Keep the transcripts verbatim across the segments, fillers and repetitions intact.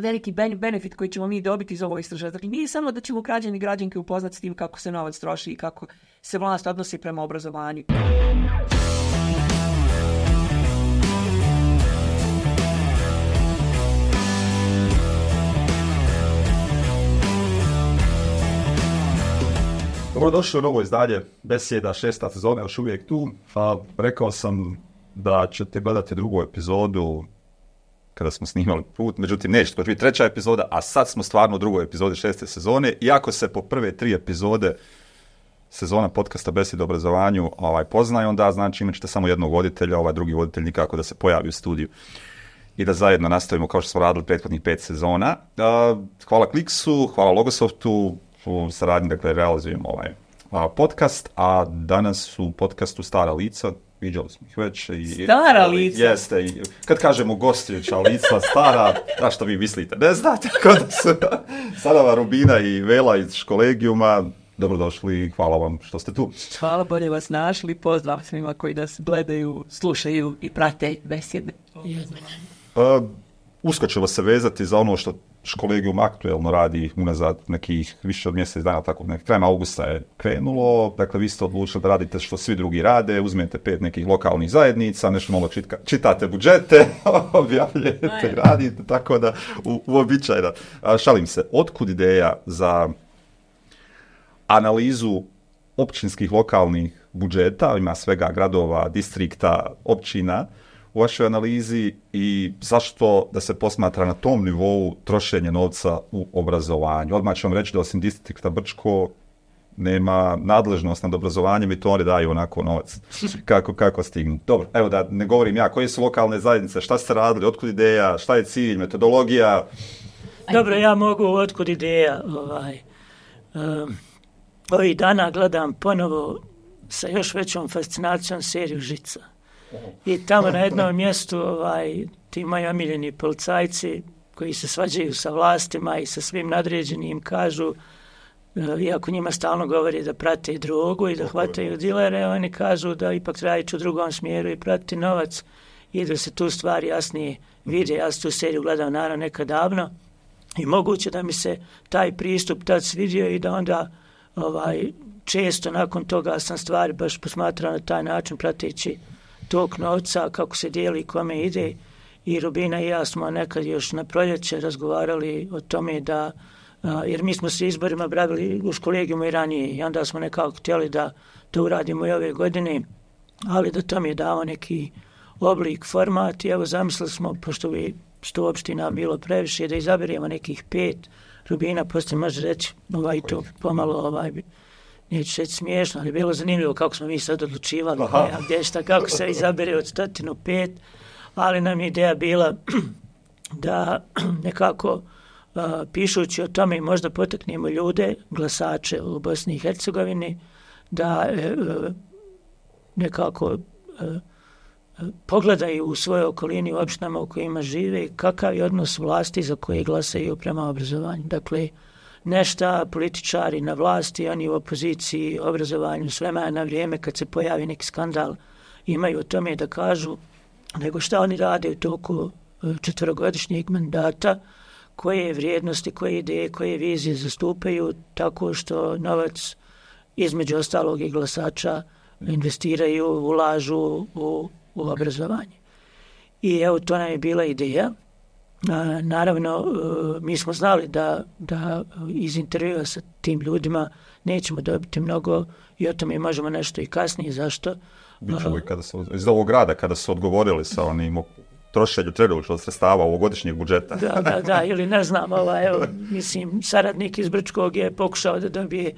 veliki benefit koji ćemo mi dobiti iz ovog istraživanja. Dakle, nije samo da ćemo građani i građanke upoznati s tim kako se novac troši i kako se vlast odnosi prema obrazovanju. Dobrodošli u novo izdanje Besjeda, šesta sezona, još uvijek tu. A, rekao sam da ćete gledati drugu epizodu kada smo snimali put, međutim neće, to će biti treća epizoda, a sad smo stvarno u drugoj epizodi šeste sezone, iako se po prve tri epizode sezona podcasta Besjeda o obrazovanju ovaj, poznaje, onda znači imat ćete samo jednog voditelja, ovaj drugi voditelj nikako da se pojavi u studiju i da zajedno nastavimo kao što smo radili prethodnih pet sezona. A, hvala Kliksu, hvala Logosoftu, u saradnji, dakle, realizujemo ovaj a, podcast, a danas u podcastu Stara lica, viđali smo ih već. I, stara lica? Jeste, i, kad kažemo gostujuća lica, stara, a što vi mislite, ne znate, kod su Sarava, Rubina i Vela iz Školegijuma, dobrodošli, hvala vam što ste tu. Hvala, bolje vas našli, pozdrav svima koji nas gledaju, slušaju i prate besjede. Uh, usko ćemo se vezati za ono što Školegijum aktuelno radi unazad nekih više od mjesec dana, tako nek krajem augusta je krenulo, dakle vi ste odlučili da radite što svi drugi rade, uzmete pet nekih lokalnih zajednica, nešto malo čitka, čitate budžete, objavljujete i radite, tako da u, uobičajno. A, šalim se, otkud ideja za analizu općinskih lokalnih budžeta, ima svega gradova, distrikta, općina, u vašoj analizi i zašto da se posmatra na tom nivou trošenje novca u obrazovanju? Odmah ću vam reći da osim distrikta Brčko nema nadležnost nad obrazovanjem i to oni daju onako novac kako, kako stignu. Dobro, evo da ne govorim ja, koje su lokalne zajednice, šta ste radili, otkud ideja, šta je cilj, metodologija? Dobro, ja mogu otkud ideja. Ovaj, um, ovih dana gledam ponovo sa još većom fascinacijom seriju Žica. I tamo na jednom mjestu ovaj, ti moji omiljeni policajci koji se svađaju sa vlastima i sa svim nadređenim kažu, iako njima stalno govori da prate drogu i da hvataju dilere, oni kažu da ipak treba ići u drugom smjeru i pratiti novac i da se tu stvari jasnije vide. Ja sam tu seriju gledao naravno nekad davno i moguće da mi se taj pristup tad svidio i da onda ovaj, često nakon toga sam stvari baš posmatrao na taj način prateći tog novca, kako se dijeli i kome ide. I Rubina i ja smo nekad još na proljeće razgovarali o tome da, a, jer mi smo se izborima bravili u Školegijumu i ranije i onda smo nekako htjeli da to uradimo i ove godine, ali da to mi je dao neki oblik, format i evo zamislili smo, pošto bi sto opština bilo previše, da izaberemo nekih pet. Rubina poslije može reći ovaj to pomalo ovaj neću reći smiješno, ali je bilo zanimljivo kako smo mi sad odlučivali, ja, gdje šta, kako se izabere od stotinu pet, ali nam je ideja bila da nekako uh, pišući o tome možda potaknemo ljude, glasače u Bosni i Hercegovini, da uh, nekako uh, pogledaju u svojoj okolini u opštinama u kojima žive kakav je odnos vlasti za koje glasaju prema obrazovanju. Dakle, nešta političari na vlasti, oni u opoziciji, obrazovanju, s vremena na vrijeme kad se pojavi neki skandal imaju o tome da kažu, nego šta oni rade u toku četverogodišnjeg mandata, koje vrijednosti, koje ideje, koje vizije zastupaju tako što novac između ostalog i glasača investiraju, ulažu u, u obrazovanje. I evo to nam je bila ideja. A, naravno, mi smo znali da, da iz intervjua sa tim ljudima nećemo dobiti mnogo i o tome možemo nešto i kasnije. Zašto? Bićemo i kada su, iz ovog grada, kada su odgovorili sa onim trošenju trenutnog sredstava ovogodišnjeg budžeta. Da, da, da, ili ne znam, ovaj, evo, mislim, saradnik iz Brčkog je pokušao da dobije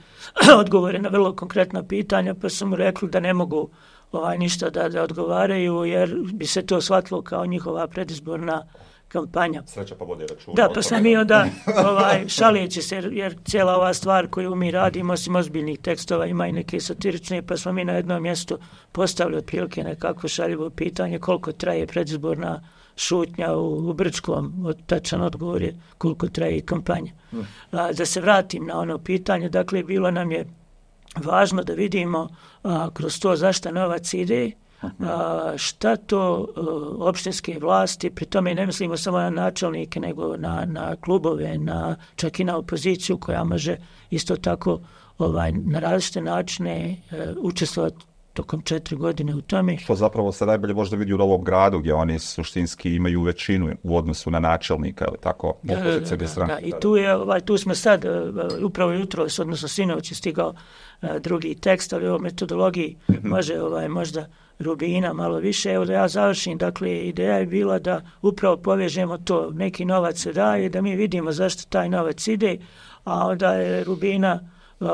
odgovore na vrlo konkretna pitanja, pa su mu rekli da ne mogu ovaj, ništa da, da odgovaraju, jer bi se to shvatilo kao njihova predizborna kampanja. Sreća pa vodi računa. Da, pa sam i onda ovaj, šalijeći se, jer cijela ova stvar koju mi radimo, osim ozbiljnih tekstova, ima i neke satirične, pa smo mi na jednom mjestu postavili otprilike nekako šaljivo pitanje koliko traje predizborna šutnja u, u Brčkom, tačan odgovor je koliko traje kampanja. A, da se vratim na ono pitanje, dakle, bilo nam je važno da vidimo a, kroz to zašto novac ide a, šta to a, opštinske vlasti, pri tome ne mislimo samo na načelnike, nego na, na klubove, na, čak i na opoziciju koja može isto tako ovaj, na različite načine a, učestvovati tokom četiri godine u tome. Što zapravo se najbolje možda vidi u Novom Gradu, gdje oni suštinski imaju većinu u odnosu na načelnika, ili tako, opozicija bez stranke. Da, i tu, je, ovaj, tu smo sad, uh, upravo jutro, odnosno sinoć je stigao uh, drugi tekst, ali o metodologiji može ovaj, možda Rubina malo više. Evo da ja završim, dakle, ideja je bila da upravo povežemo to, neki novac se daje, da mi vidimo zašto taj novac ide, a onda je Rubina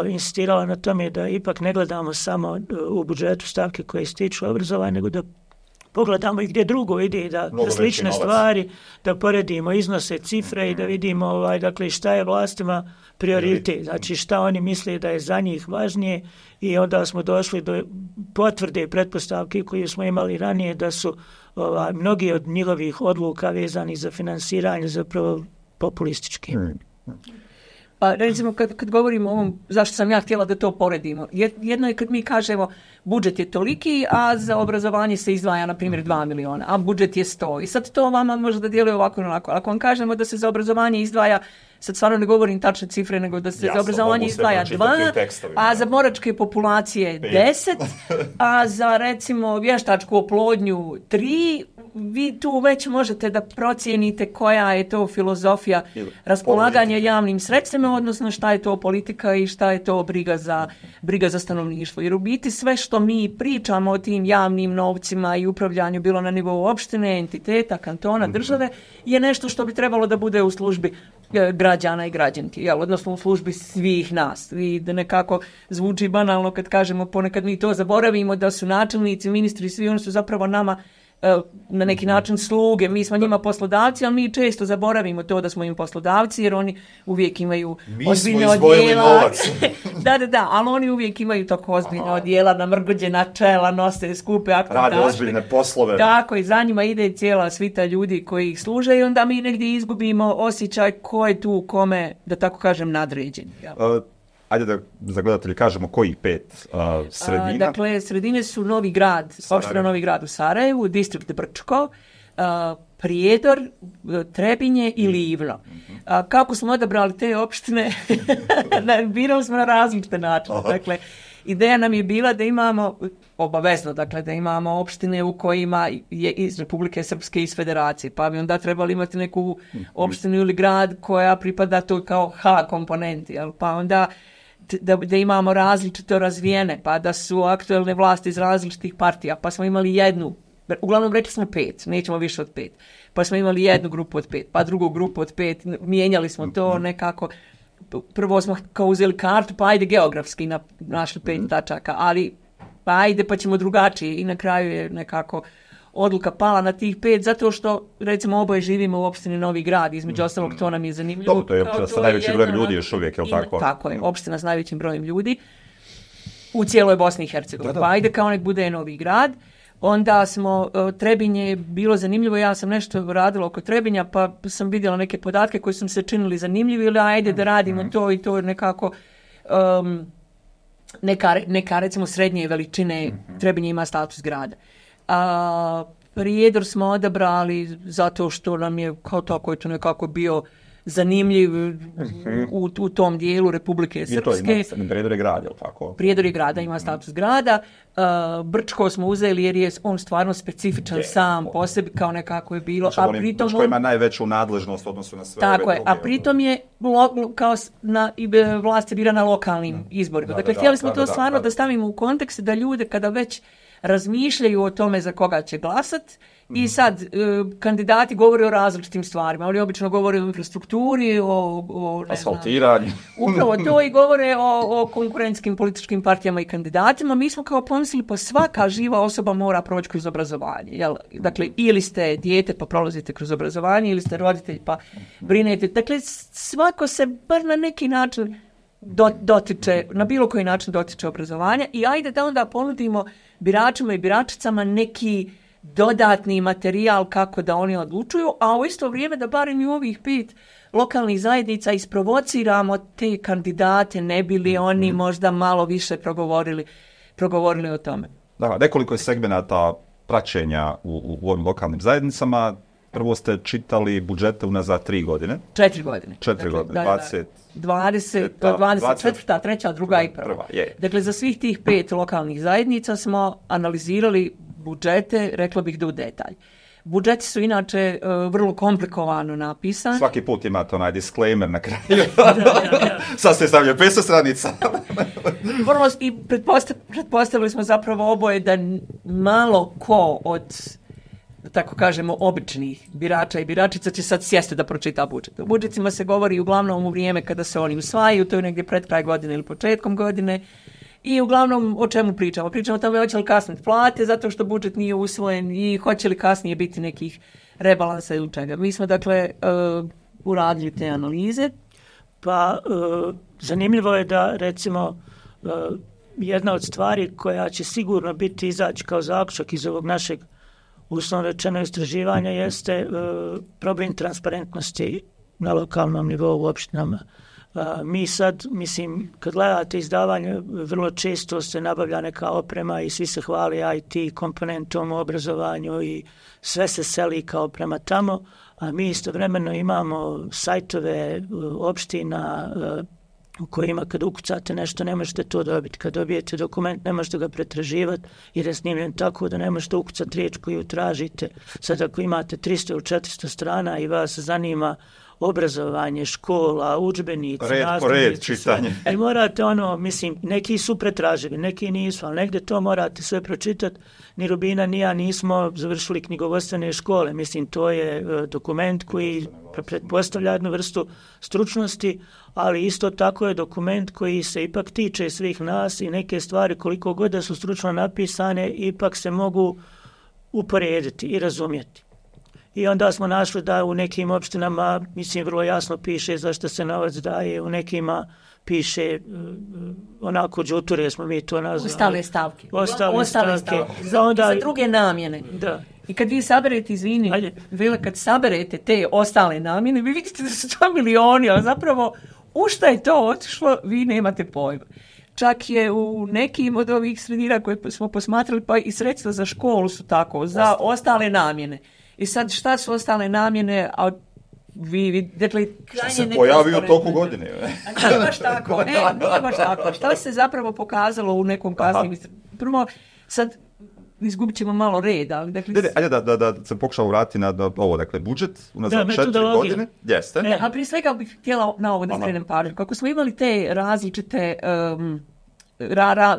insistirala na tome da ipak ne gledamo samo u budžetu stavke koje se tiču obrazovanja, nego da pogledamo i gdje drugo ide, da, da slične stvari, da poredimo iznose, cifre i da vidimo ovaj, dakle, šta je vlastima prioritet, znači šta oni misle da je za njih važnije i onda smo došli do potvrde i pretpostavke koje smo imali ranije da su ovaj, mnogi od njihovih odluka vezani za finansiranje zapravo populistički. Hmm. Pa recimo kad, kad govorimo o ovom, zašto sam ja htjela da to poredimo, jedno je kad mi kažemo budžet je toliki, a za obrazovanje se izdvaja na primjer dva miliona, a budžet je sto. I sad to vama može da djeluje ovako i onako. Ako vam kažemo da se za obrazovanje izdvaja, sad stvarno ne govorim tačne cifre, nego da se ja za obrazovanje izdvaja dva, a za boračke populacije deset, a za recimo vještačku oplodnju tri, vi tu već možete da procijenite koja je to filozofija raspolaganja javnim sredstvima, odnosno šta je to politika i šta je to briga za, briga za stanovništvo. Jer u biti sve što mi pričamo o tim javnim novcima i upravljanju bilo na nivou opštine, entiteta, kantona, države, je nešto što bi trebalo da bude u službi građana i građanki, jel, odnosno u službi svih nas. I da nekako zvuči banalno kad kažemo, ponekad mi to zaboravimo, da su načelnici, ministri, svi oni su zapravo nama na neki način sluge, mi smo njima poslodavci, ali mi često zaboravimo to da smo im poslodavci, jer oni uvijek imaju mi ozbiljne odjela. da, da, da, ali oni uvijek imaju tako ozbiljne odjela, namrgođena čela, nose skupe akte. Rade ozbiljne poslove. Tako, i za njima ide cijela svita ljudi koji ih služe i onda mi negdje izgubimo osjećaj ko je tu kome, da tako kažem, nadređen. Ja. Uh, Ajde da za gledatelji kažemo kojih pet uh, sredina. A, dakle, sredine su Novi Grad, opština Novi Grad u Sarajevu, distrikt Brčko, uh, Prijedor, Trebinje i Livno. A, kako smo odabrali te opštine? Birali smo na različite načine. Dakle, ideja nam je bila da imamo, obavezno, dakle, da imamo opštine u kojima je iz Republike Srpske, iz Federacije, pa bi onda trebali imati neku opštinu ili grad koja pripada to kao H komponenti, jel? Pa onda Da, da imamo različito razvijene, pa da su aktuelne vlasti iz različitih partija, pa smo imali jednu, uglavnom rekli smo pet, nećemo više od pet, pa smo imali jednu grupu od pet, pa drugu grupu od pet, mijenjali smo to nekako, prvo smo kao uzeli kartu, pa ajde geografski na, našli pet tačaka, ali pa ajde pa ćemo drugačije i na kraju je nekako odluka pala na tih pet, zato što, recimo, oboje živimo u opštini Novi Grad, između ostalog, to nam je zanimljivo. To, to je opština sa najvećim brojem ljudi još uvijek, je li tako? Tako je, opština s najvećim brojem ljudi u cijeloj Bosni i Hercegovini. Pa ajde kao nek bude Novi Grad. Onda smo, Trebinje je bilo zanimljivo, ja sam nešto radila oko Trebinja, pa sam vidjela neke podatke koji su mi se činili zanimljivi, ili ajde da radimo to i to nekako... Um, neka, neka, recimo, srednje veličine, Trebinje ima status grada. A Prijedor smo odabrali zato što nam je kao tako je to nekako bio zanimljiv u, u tom dijelu Republike Srpske. Prijedor je grad, je li tako? Prijedor je grada, ima status grada. Uh, Brčko smo uzeli jer je on stvarno specifičan je, sam po sebi, kao nekako je bilo. Znači, a pritom Brčko ima najveću nadležnost odnosu na sve tako ove je, druge. a pritom je lo, kao na, i vlast je bira na lokalnim mm. izborima. Da, dakle, da, htjeli smo da, to da, stvarno da, da. da stavimo u kontekst da ljude kada već razmišljaju o tome za koga će glasat mm. i sad e, kandidati govore o različitim stvarima. Oni obično govore o infrastrukturi, o, o asfaltiranju. Upravo to i govore o, o konkurentskim političkim partijama i kandidatima. Mi smo kao pomislili pa svaka živa osoba mora proći kroz obrazovanje. Jel? Dakle, ili ste dijete pa prolazite kroz obrazovanje, ili ste roditelj pa brinete. Dakle, svako se bar na neki način do, dotiče, na bilo koji način dotiče obrazovanja i ajde da onda ponudimo biračima i biračicama neki dodatni materijal kako da oni odlučuju, a u isto vrijeme da barem i u ovih pet lokalnih zajednica isprovociramo te kandidate, ne bi li oni možda malo više progovorili, progovorili o tome. Da, nekoliko je segmenata praćenja u, u ovim lokalnim zajednicama. Prvo ste čitali budžete unazad tri godine. Četiri godine. Četiri dakle, godine, dvadeset. dvadeset, dvadeset četvrta, treća, druga i prva. prva je. Dakle, za svih tih pet lokalnih zajednica smo analizirali budžete, rekla bih da u detalj. Budžeti su inače uh, vrlo komplikovano napisani. Svaki put imate onaj disclaimer na kraju. da, da, da. Sad ste stavljaju petsto stranica. Vrlo, i pretpostav, pretpostavili smo zapravo oboje da malo ko od, da tako kažemo, običnih birača i biračica će sad sjesti da pročita budžet. O budžetima se govori uglavnom u vrijeme kada se oni usvajaju, to je negdje pred kraj godine ili početkom godine. I uglavnom o čemu pričamo? Pričamo o tome hoće li kasniti plate zato što budžet nije usvojen i hoće li kasnije biti nekih rebalansa ili čega. Mi smo dakle uh, uradili te analize. Pa uh, zanimljivo je da recimo uh, jedna od stvari koja će sigurno biti izaći kao zaključak iz ovog našeg uslovno rečeno istraživanja jeste uh, problem transparentnosti na lokalnom nivou u opštinama. Uh, mi sad, mislim, kad gledate izdavanje, vrlo često se nabavlja neka oprema i svi se hvali I T komponentom u obrazovanju i sve se seli kao prema tamo, a mi istovremeno imamo sajtove uh, opština uh, u kojima kad ukucate nešto ne možete to dobiti. Kad dobijete dokument ne možete ga pretraživati jer je snimljen tako da ne možete ukucati riječ koju tražite. Sad ako imate tristo ili četiristo strana i vas zanima obrazovanje, škola, udžbenici, red po red čitanje. I morate ono, mislim, neki su pretraživi, neki nisu, ali negdje to morate sve pročitati. Ni Rubina, ni ja nismo završili knjigovodstvene škole. Mislim, to je uh, dokument koji pretpostavlja jednu vrstu stručnosti, ali isto tako je dokument koji se ipak tiče svih nas i neke stvari koliko god da su stručno napisane, ipak se mogu uporediti i razumjeti. I onda smo našli da u nekim opštinama, mislim, vrlo jasno piše zašto se novac daje, u nekima piše uh, onako džuture smo mi to nazvali. Ostale stavke. Ostale, Ostale stavke. stavke. Za, onda, za druge namjene. Da. I kad vi saberete, izvini, Vile, kad saberete te ostale namjene, vi vidite da su to milioni, a zapravo u šta je to otišlo, vi nemate pojma. Čak je u nekim od ovih sredina koje smo posmatrali, pa i sredstva za školu su tako, za ostale, ostale namjene. I sad šta su ostale namjene, a vi, vi dakle, šta se pojavi u toku godine? A nije baš tako, e, nije baš tako. Šta se zapravo pokazalo u nekom kasnim... Prvo, sad izgubit ćemo malo reda. Dakle, ne, ne, ajde da, da, da se pokušao vratiti na da, ovo, dakle, budžet unazad četiri godine. Jeste. Ne, a prije svega bih htjela na ovo da skrenem pažnju. Kako smo imali te različite... Um, Ra, ra,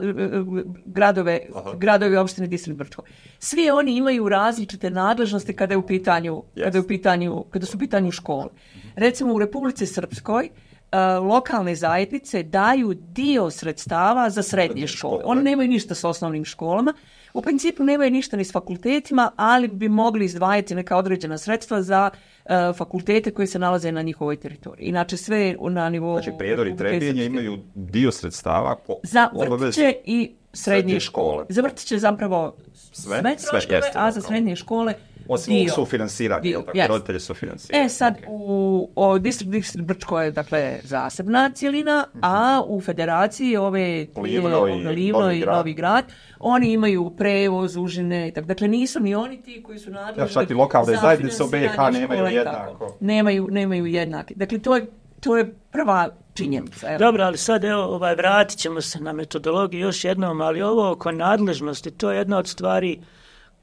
gradove, gradove opštine Distrikt Brčko. Svi oni imaju različite nadležnosti kada je u pitanju, yes. kada je u pitanju, kada su u pitanju škole. Recimo u Republici Srpskoj uh, lokalne zajednice daju dio sredstava za srednje škole. Oni nemaju ništa s osnovnim školama. U principu nemaju ništa ni s fakultetima, ali bi mogli izdvajati neka određena sredstva za uh, fakultete koji se nalaze na njihovoj teritoriji. Inače sve na nivou... Znači, Prijedor i Trebinje imaju dio sredstava po za vrtiće i srednje škole. škole. Za vrtiće zapravo sve, sve troškove, a za srednje škole osim dio. Sufinansiranje, dio, tako, yes. roditelji sufinansiranje. E sad, u, u Distrikt, Distrikt Brčko je, dakle, zasebna cijelina, mm-hmm. a u federaciji ove Livno i Livno Novi, i grad. Novi grad, oni imaju prevoz, užine, tak, dakle, nisu ni oni ti koji su nadležni. Ja, čak i lokalne zajednice u B i H nemaju jednako. Nemaju, nemaju jednake. Dakle, to je, to je prva činjenica. Evo. Dobro, ali sad evo, ovaj, vratit ćemo se na metodologiju još jednom, ali ovo oko nadležnosti, to je jedna od stvari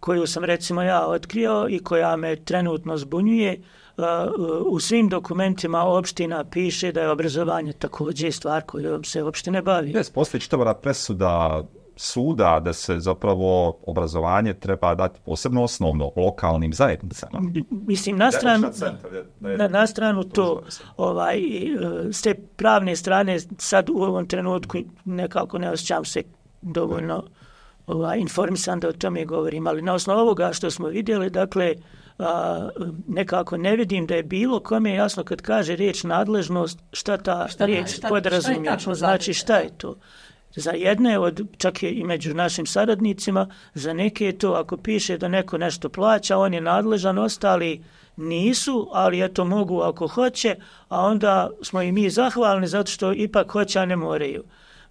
koju sam recimo ja otkrio i koja me trenutno zbunjuje. Uh, u svim dokumentima opština piše da je obrazovanje također stvar kojom se opštine bavi. Jes, postoji čitava presuda suda da se zapravo obrazovanje treba dati posebno osnovno lokalnim zajednicama. Mislim, na stranu, na, na stranu to, ovaj, s te pravne strane sad u ovom trenutku nekako ne osjećam se dovoljno ovaj, informisan da o tome govorim, ali na osnovu ovoga što smo vidjeli, dakle, a, nekako ne vidim da je bilo kome jasno kad kaže riječ nadležnost, šta ta šta, riječ šta, podrazumije. Šta znači šta je to? Za jedne, od, čak i među našim saradnicima, za neke je to ako piše da neko nešto plaća, on je nadležan, ostali nisu, ali eto mogu ako hoće, a onda smo i mi zahvalni zato što ipak hoće, a ne moraju.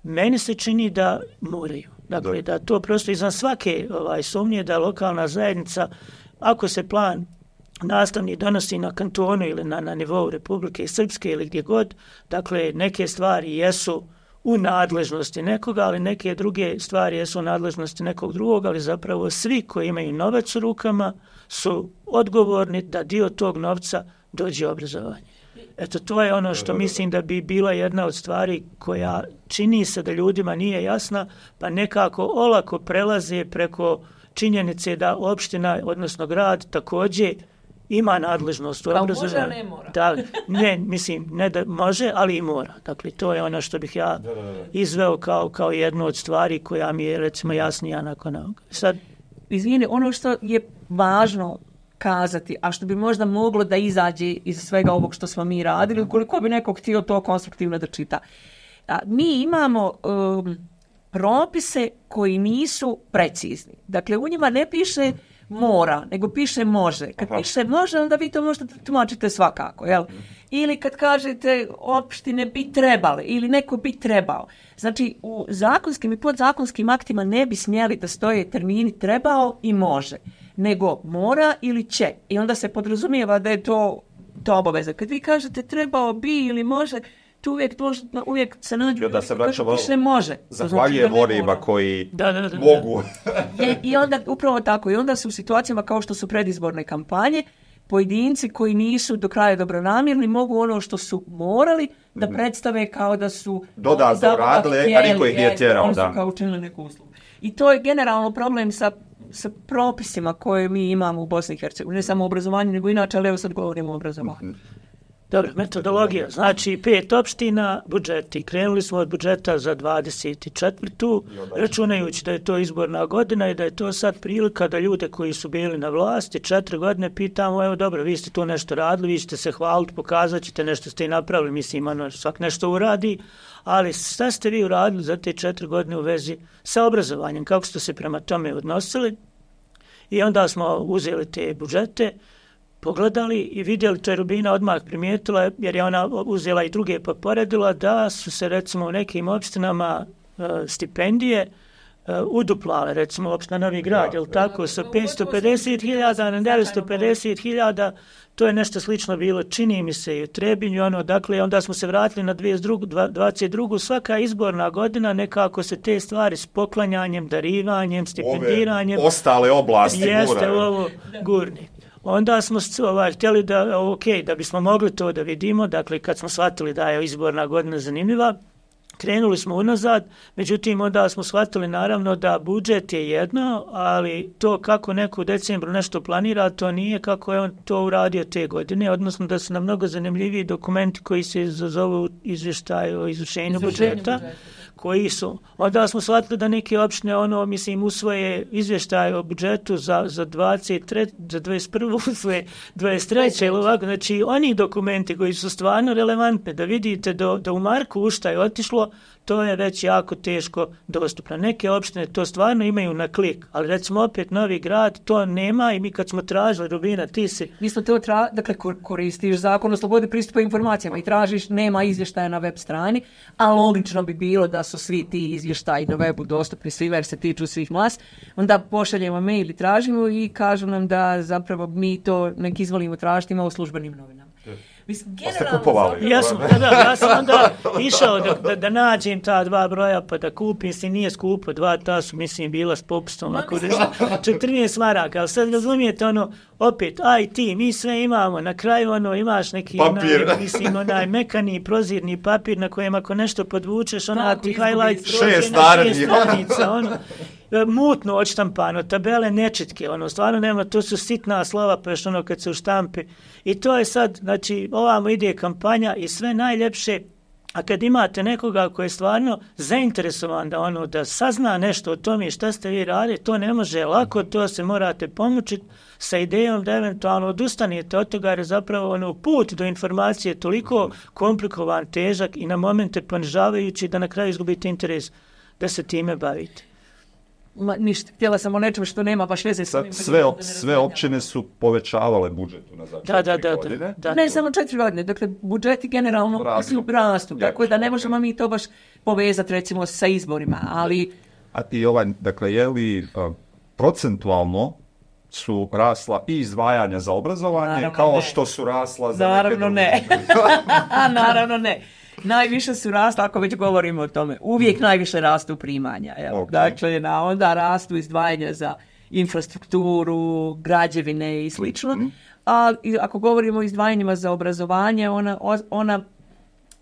Meni se čini da moraju. Dakle, da to prosto izvan svake ovaj, sumnje da lokalna zajednica, ako se plan nastavni donosi na kantonu ili na, na nivou Republike Srpske ili gdje god, dakle, neke stvari jesu u nadležnosti nekoga, ali neke druge stvari jesu u nadležnosti nekog drugog, ali zapravo svi koji imaju novac u rukama su odgovorni da dio tog novca dođe u obrazovanje. Eto, to je ono što mislim da bi bila jedna od stvari koja čini se da ljudima nije jasna, pa nekako olako prelaze preko činjenice da opština, odnosno grad, također ima nadležnost u obrazovanju. Može, a ne mora. Da, ne, mislim, ne da može, ali i mora. Dakle, to je ono što bih ja izveo kao, kao jednu od stvari koja mi je, recimo, jasnija nakon ovoga. Sad, izvini, ono što je važno kazati, a što bi možda moglo da izađe iz svega ovog što smo mi radili, ukoliko bi neko htio to konstruktivno da čita. A, mi imamo um, propise koji nisu precizni. Dakle, u njima ne piše mora, nego piše može. Kad Aha. piše može, onda vi to možete tumačite svakako, jel? Ili kad kažete opštine bi trebale, ili neko bi trebao. Znači, u zakonskim i podzakonskim aktima ne bi smjeli da stoje termini trebao i može, nego mora ili će. I onda se podrazumijeva da je to, to obaveza. Kad vi kažete trebao bi ili može, tu uvijek, uvijek se nađu, da se vraćamo, piše može. Zahvaljujem znači onima koji da, da, da, mogu. I, I onda, upravo tako, i onda su u situacijama kao što su predizborne kampanje, pojedinci koji nisu do kraja dobronamjerni mogu ono što su morali da predstave kao da su dodatno radile, a niko ih nije tjerao. Oni su kao učinili neku uslugu. I to je generalno problem sa, sa propisima koje mi imamo u Bosni i Hercegovini. Ne samo u obrazovanju, nego inače, ali evo sad govorimo o obrazovanju. Dobro, metodologija. Znači, pet opština, budžeti. Krenuli smo od budžeta za dvadeset četvrtu računajući da je to izborna godina i da je to sad prilika da ljude koji su bili na vlasti četiri godine pitamo, evo dobro, vi ste tu nešto radili, vi ćete se hvaliti, pokazat ćete nešto ste i napravili, mislim, ono, svak nešto uradi, ali šta ste vi uradili za te četiri godine u vezi sa obrazovanjem, kako ste se prema tome odnosili? I onda smo uzeli te budžete, pogledali i vidjeli, to je Rubina odmah primijetila, jer je ona uzela i druge pa poredila, da su se recimo u nekim opštinama uh, stipendije uh, uduplale, recimo opština Novi Grad, jel tako, sa petsto pedeset hiljada na devetsto pedeset hiljada, to je nešto slično bilo, čini mi se i u Trebinju, ono, dakle, onda smo se vratili na dvadeset drugu svaka izborna godina, nekako se te stvari s poklanjanjem, darivanjem, stipendiranjem, ove ostale oblasti jeste guraju. Ovo gurni. Onda smo ovaj, htjeli da, ok, da bismo mogli to da vidimo, dakle kad smo shvatili da je izborna godina zanimljiva, krenuli smo unazad, međutim onda smo shvatili naravno da budžet je jedno, ali to kako neko u decembru nešto planira, to nije kako je on to uradio te godine, odnosno da su nam mnogo zanimljiviji dokumenti koji se zovu izvještaj o izvršenju budžeta, koji su, onda smo shvatili da neke opštine, ono, mislim, usvoje izvještaj o budžetu za, za dvadeset tri, za dvadeset prvu, usvoje dvadeset treće ili ovako, znači oni dokumenti koji su stvarno relevantni, da vidite da, da u Marku u šta je otišlo, to je već jako teško dostupno. Neke opštine to stvarno imaju na klik, ali recimo opet Novi Grad to nema i mi kad smo tražili, Rubina, ti si... Mi smo to tra... dakle, koristiš zakon o slobodi pristupa informacijama i tražiš, nema izvještaja na web strani, a logično bi bilo da su svi ti izvještaji na webu dostupni, svi jer se tiču svih mas, onda pošaljemo mail i tražimo i kažu nam da zapravo mi to nek izvolimo tražiti, ima u službenim novinama. Mislim, generalno... Ja sam, da, da, ja sam onda išao da, da, da nađem ta dva broja pa da kupim, mislim, nije skupo, dva ta su, mislim, bila s popustom, ako četrnaest maraka, ali sad razumijete, ono, opet, aj ti, mi sve imamo, na kraju, ono, imaš neki, onaj, mislim, onaj mekani, prozirni papir na kojem ako nešto podvučeš, ona ti highlight šest stranica, ono, mutno odštampano, tabele nečitke, ono, stvarno nema, to su sitna slova, pa još ono kad se u štampi. I to je sad, znači, ovamo ide kampanja i sve najljepše, a kad imate nekoga koji je stvarno zainteresovan da ono, da sazna nešto o tome šta ste vi radili, to ne može lako, to se morate pomučiti sa idejom da eventualno odustanete od toga, jer je zapravo ono, put do informacije toliko komplikovan, težak i na momente ponižavajući da na kraju izgubite interes da se time bavite. Ma, ništa, htjela sam o nečemu što nema baš veze s ovim. Sve, op, sve općine su povećavale budžet za da, da, da, godine. Da, da, ne samo četiri godine, dakle budžeti generalno rastu, rastu tako da ne možemo mi to baš povezati recimo sa izborima, ali A ti ovaj, dakle, je li uh, procentualno su rasla i izdvajanja za obrazovanje, Naravno kao ne. što su rasla za Naravno neke druge? ne. Naravno ne. Najviše su rasla, ako već govorimo o tome, uvijek najviše rastu primanja. Evo. Okay. Dakle, na onda rastu izdvajanja za infrastrukturu, građevine i slično. Mm. A ako govorimo o izdvajanjima za obrazovanje, ona, ona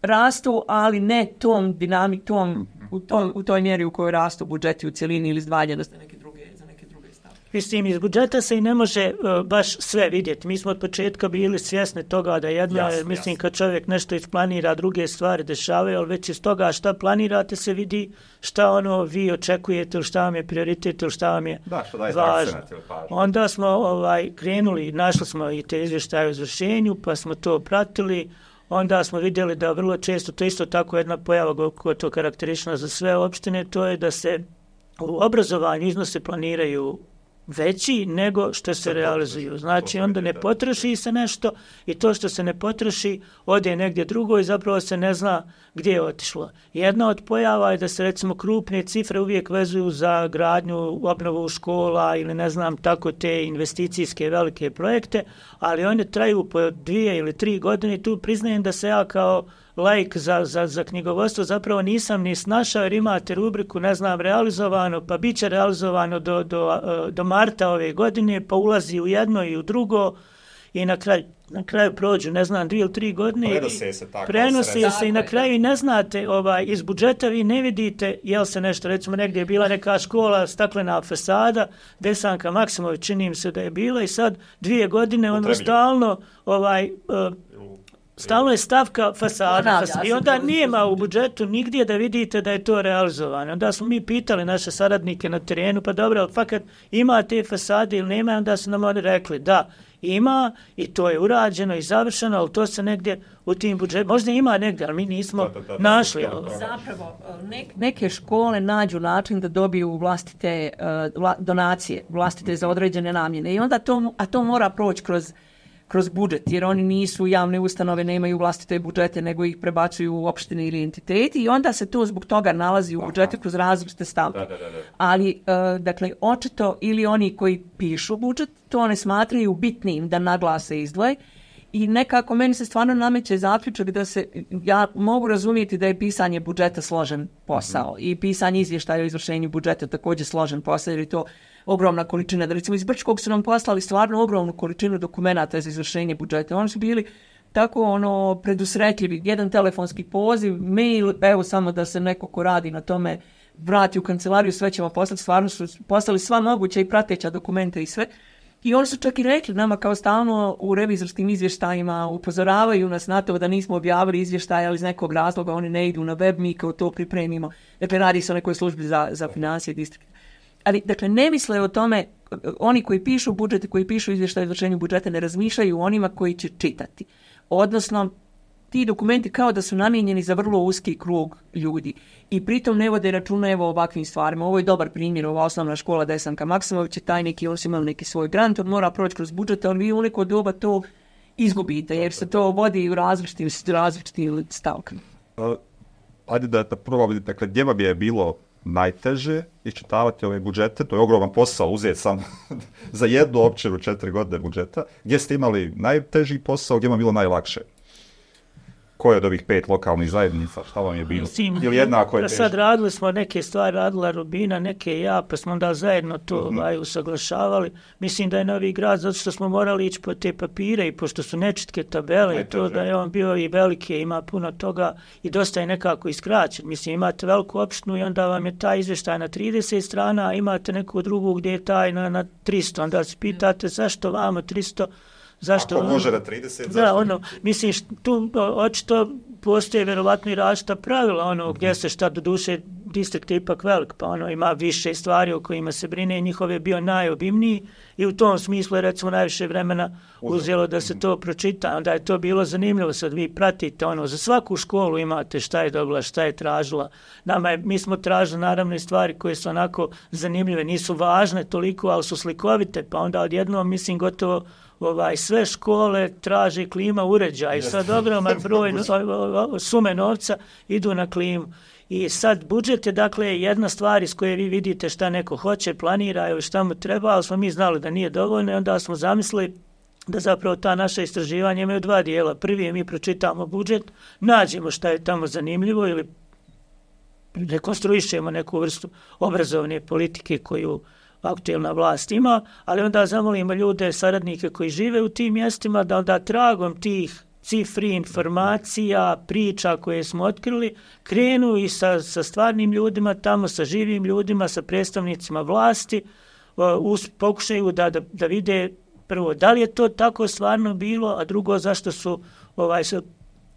rastu, ali ne tom dinamikom, u, to, u toj mjeri u kojoj rastu budžeti u cjelini ili izdvajanja za neke druge, za neke druge stavke. Mislim, iz budžeta se i ne može uh, baš sve vidjeti. Mi smo od početka bili svjesni toga da jedno, jasno, mislim, jasno. Kad čovjek nešto isplanira, druge stvari dešavaju, ali već iz toga šta planirate se vidi šta ono vi očekujete ili šta vam je prioritet ili šta vam je da, što daje važno. Onda smo ovaj, krenuli, našli smo i te izvještaje o izvršenju, pa smo to pratili. Onda smo vidjeli da vrlo često, to isto tako jedna pojava koja to karakterična za sve opštine, to je da se u obrazovanju iznose planiraju veći nego što se realizuju. Znači, onda ne potroši se nešto i to što se ne potroši ode negdje drugo i zapravo se ne zna gdje je otišlo. Jedna od pojava je da se recimo krupne cifre uvijek vezuju za gradnju, obnovu škola ili ne znam tako te investicijske velike projekte, ali one traju po dvije ili tri godine i tu priznajem da se ja kao laik za, za, za knjigovodstvo zapravo nisam ni snašao jer imate rubriku, ne znam, realizovano, pa bit će realizovano do, do, do marta ove godine, pa ulazi u jedno i u drugo i na kraju, na kraju prođu, ne znam, dvije ili tri godine. Prenose se tako. Prenose se i na kraju i ne znate, ovaj, iz budžeta vi ne vidite jel se nešto, recimo negdje je bila neka škola, staklena fasada, Desanka Maksimović, čini im se da je bila i sad dvije godine ono stalno ovaj, uh, stalno je stavka fasada i onda nijema u budžetu nigdje da vidite da je to realizovano. Onda smo mi pitali naše saradnike na terenu, pa dobro, ali fakat ima te fasade ili nema, onda su nam oni rekli da ima i to je urađeno i završeno, ali to se negdje u tim budžetu, možda ima negdje, ali mi nismo da, da, da, našli. Da, da, da. Zapravo, ne, neke škole nađu način da dobiju vlastite uh, vla, donacije, vlastite za određene namjene i onda to, a to mora proći kroz kroz budžet, jer oni nisu javne ustanove, nemaju vlastite budžete, nego ih prebacuju u opštine ili entiteti i onda se to zbog toga nalazi u budžetu kroz različite stavke. Da, da, da, da. Ali, uh, dakle, očito ili oni koji pišu budžet, to ne smatraju bitnim da naglase izdvoje i nekako meni se stvarno nameće zaključak da se, ja mogu razumjeti da je pisanje budžeta složen posao mm-hmm. i pisanje izvještaja o izvršenju budžeta također složen posao, jer je to ogromna količina. Da recimo iz Brčkog su nam poslali stvarno ogromnu količinu dokumenata za izvršenje budžeta. Oni su bili tako ono predusretljivi. Jedan telefonski poziv, mail, evo samo da se neko ko radi na tome vrati u kancelariju, sve ćemo poslati. Stvarno su poslali sva moguća i prateća dokumenta i sve. I oni su čak i rekli nama kao stalno u revizorskim izvještajima upozoravaju nas na to da nismo objavili izvještaje, ali iz nekog razloga oni ne idu na web, mi kao to pripremimo. Dakle, radi se o nekoj službi za, za financije distrikta. Ali, dakle, ne misle o tome, oni koji pišu budžete, koji pišu izvještaj o izvršenju budžeta, ne razmišljaju o onima koji će čitati. Odnosno, ti dokumenti kao da su namijenjeni za vrlo uski krug ljudi i pritom ne vode računa evo ovakvim stvarima. Ovo je dobar primjer, ova osnovna škola Desanka Maksimović je taj neki, on su imali neki svoj grant, on mora proći kroz budžet, ali vi u neko doba to izgubite, jer se to vodi u različitim, različitim stavkama. Uh, ajde da, da prvo vidite, dakle, gdje vam je bilo najteže iščitavati ove budžete, to je ogroman posao uzeti sam za jednu općinu četiri godine budžeta. Gdje ste imali najteži posao, gdje vam je bilo najlakše? Koje od ovih pet lokalnih zajednica, šta vam je bilo? Mislim, ili jednako je teže? Sad radili smo neke stvari, radila Rubina, neke ja, pa smo onda zajedno to uh-huh. ovaj, usaglašavali. Mislim da je Novi Grad, zato što smo morali ići po te papire i pošto su nečitke tabele, najteže. To da je on bio i velike, ima puno toga i dosta je nekako iskraćen. Mislim, imate veliku opštinu i onda vam je taj izvještaj na trideset strana, a imate neku drugu gdje je taj na, na tristo. Onda se pitate zašto vamo tristo. Zašto? Ako može na trideset, da, zašto? ono, mislim, tu očito postoje vjerovatno i različita pravila, ono, mm-hmm. gdje se šta do duše distrikt je ipak velik, pa ono, ima više stvari o kojima se brine, njihov je bio najobimniji i u tom smislu je recimo najviše vremena uzelo da se to pročita, onda je to bilo zanimljivo, sad vi pratite, ono, za svaku školu imate šta je dobila, šta je tražila, nama je, mi smo tražili naravno i stvari koje su onako zanimljive, nisu važne toliko, ali su slikovite, pa onda odjednom, mislim, gotovo ovaj, sve škole traže klima uređaj. Sad ogroman broj sume novca idu na klimu. I sad budžet je dakle jedna stvar iz koje vi vidite šta neko hoće, planira ili šta mu treba, ali smo mi znali da nije dovoljno i onda smo zamislili da zapravo ta naša istraživanja imaju dva dijela. Prvi je mi pročitamo budžet, nađemo šta je tamo zanimljivo ili rekonstruišemo neku vrstu obrazovne politike koju aktuelna vlast ima, ali onda zamolimo ljude, saradnike koji žive u tim mjestima da onda tragom tih cifri, informacija, priča koje smo otkrili, krenu i sa, sa stvarnim ljudima tamo, sa živim ljudima, sa predstavnicima vlasti, us, pokušaju da, da, da vide prvo da li je to tako stvarno bilo, a drugo zašto su ovaj, se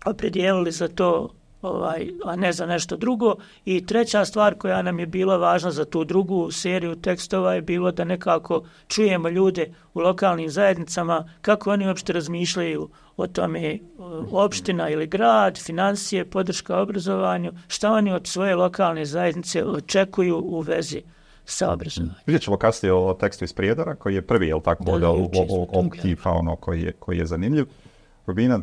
opredijelili za to, ovaj, a ne za nešto drugo. I treća stvar koja nam je bila važna za tu drugu seriju tekstova je bilo da nekako čujemo ljude u lokalnim zajednicama kako oni uopšte razmišljaju o tome, opština ili grad, financije, podrška obrazovanju, šta oni od svoje lokalne zajednice očekuju u vezi sa obrazovanjem. Vidjet ćemo kasnije o tekstu iz Prijedora, koji je prvi, jel tako, da, ovog tipa, ono, koji je, koji je zanimljiv. Rubina,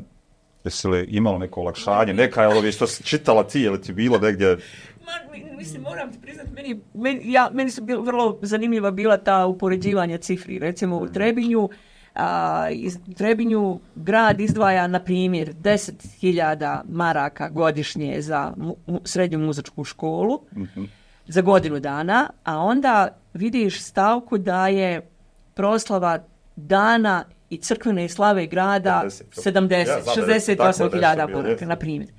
jesi li imalo neko olakšanje, neka je ovo što si čitala ti, ili ti bilo negdje? Ma, mislim, moram ti priznati, meni, meni, ja, meni su bil, vrlo zanimljiva bila ta upoređivanja cifri. Recimo u Trebinju, a, iz Trebinju grad izdvaja, na primjer, deset hiljada maraka godišnje za mu, srednju muzičku školu, mm-hmm. za godinu dana, a onda vidiš stavku da je proslava dana i crkvene slave grada sedamdeset, ja, šezdeset osam hiljada maraka, na primjer.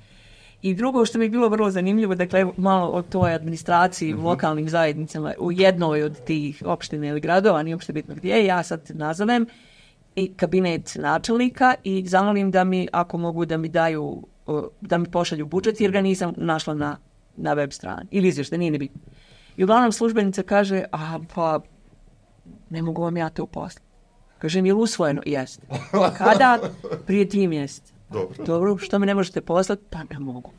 I drugo što mi je bilo vrlo zanimljivo, dakle, malo o toj administraciji mm-hmm. u lokalnim zajednicama, u jednoj od tih opština ili gradova, nije uopšte bitno gdje, ja sad nazovem i kabinet načelnika i zamolim da mi, ako mogu, da mi daju, da mi pošalju budžet, jer ga nisam našla na, na web strani. Ili izvještaj, nije ni bitno. I uglavnom službenica kaže, a pa, ne mogu vam ja to uposlati. Kažem, je li usvojeno? Jeste. Kada? Prije tri mjeseca. Dobro. Dobro, što mi ne možete poslati? Pa ne mogu.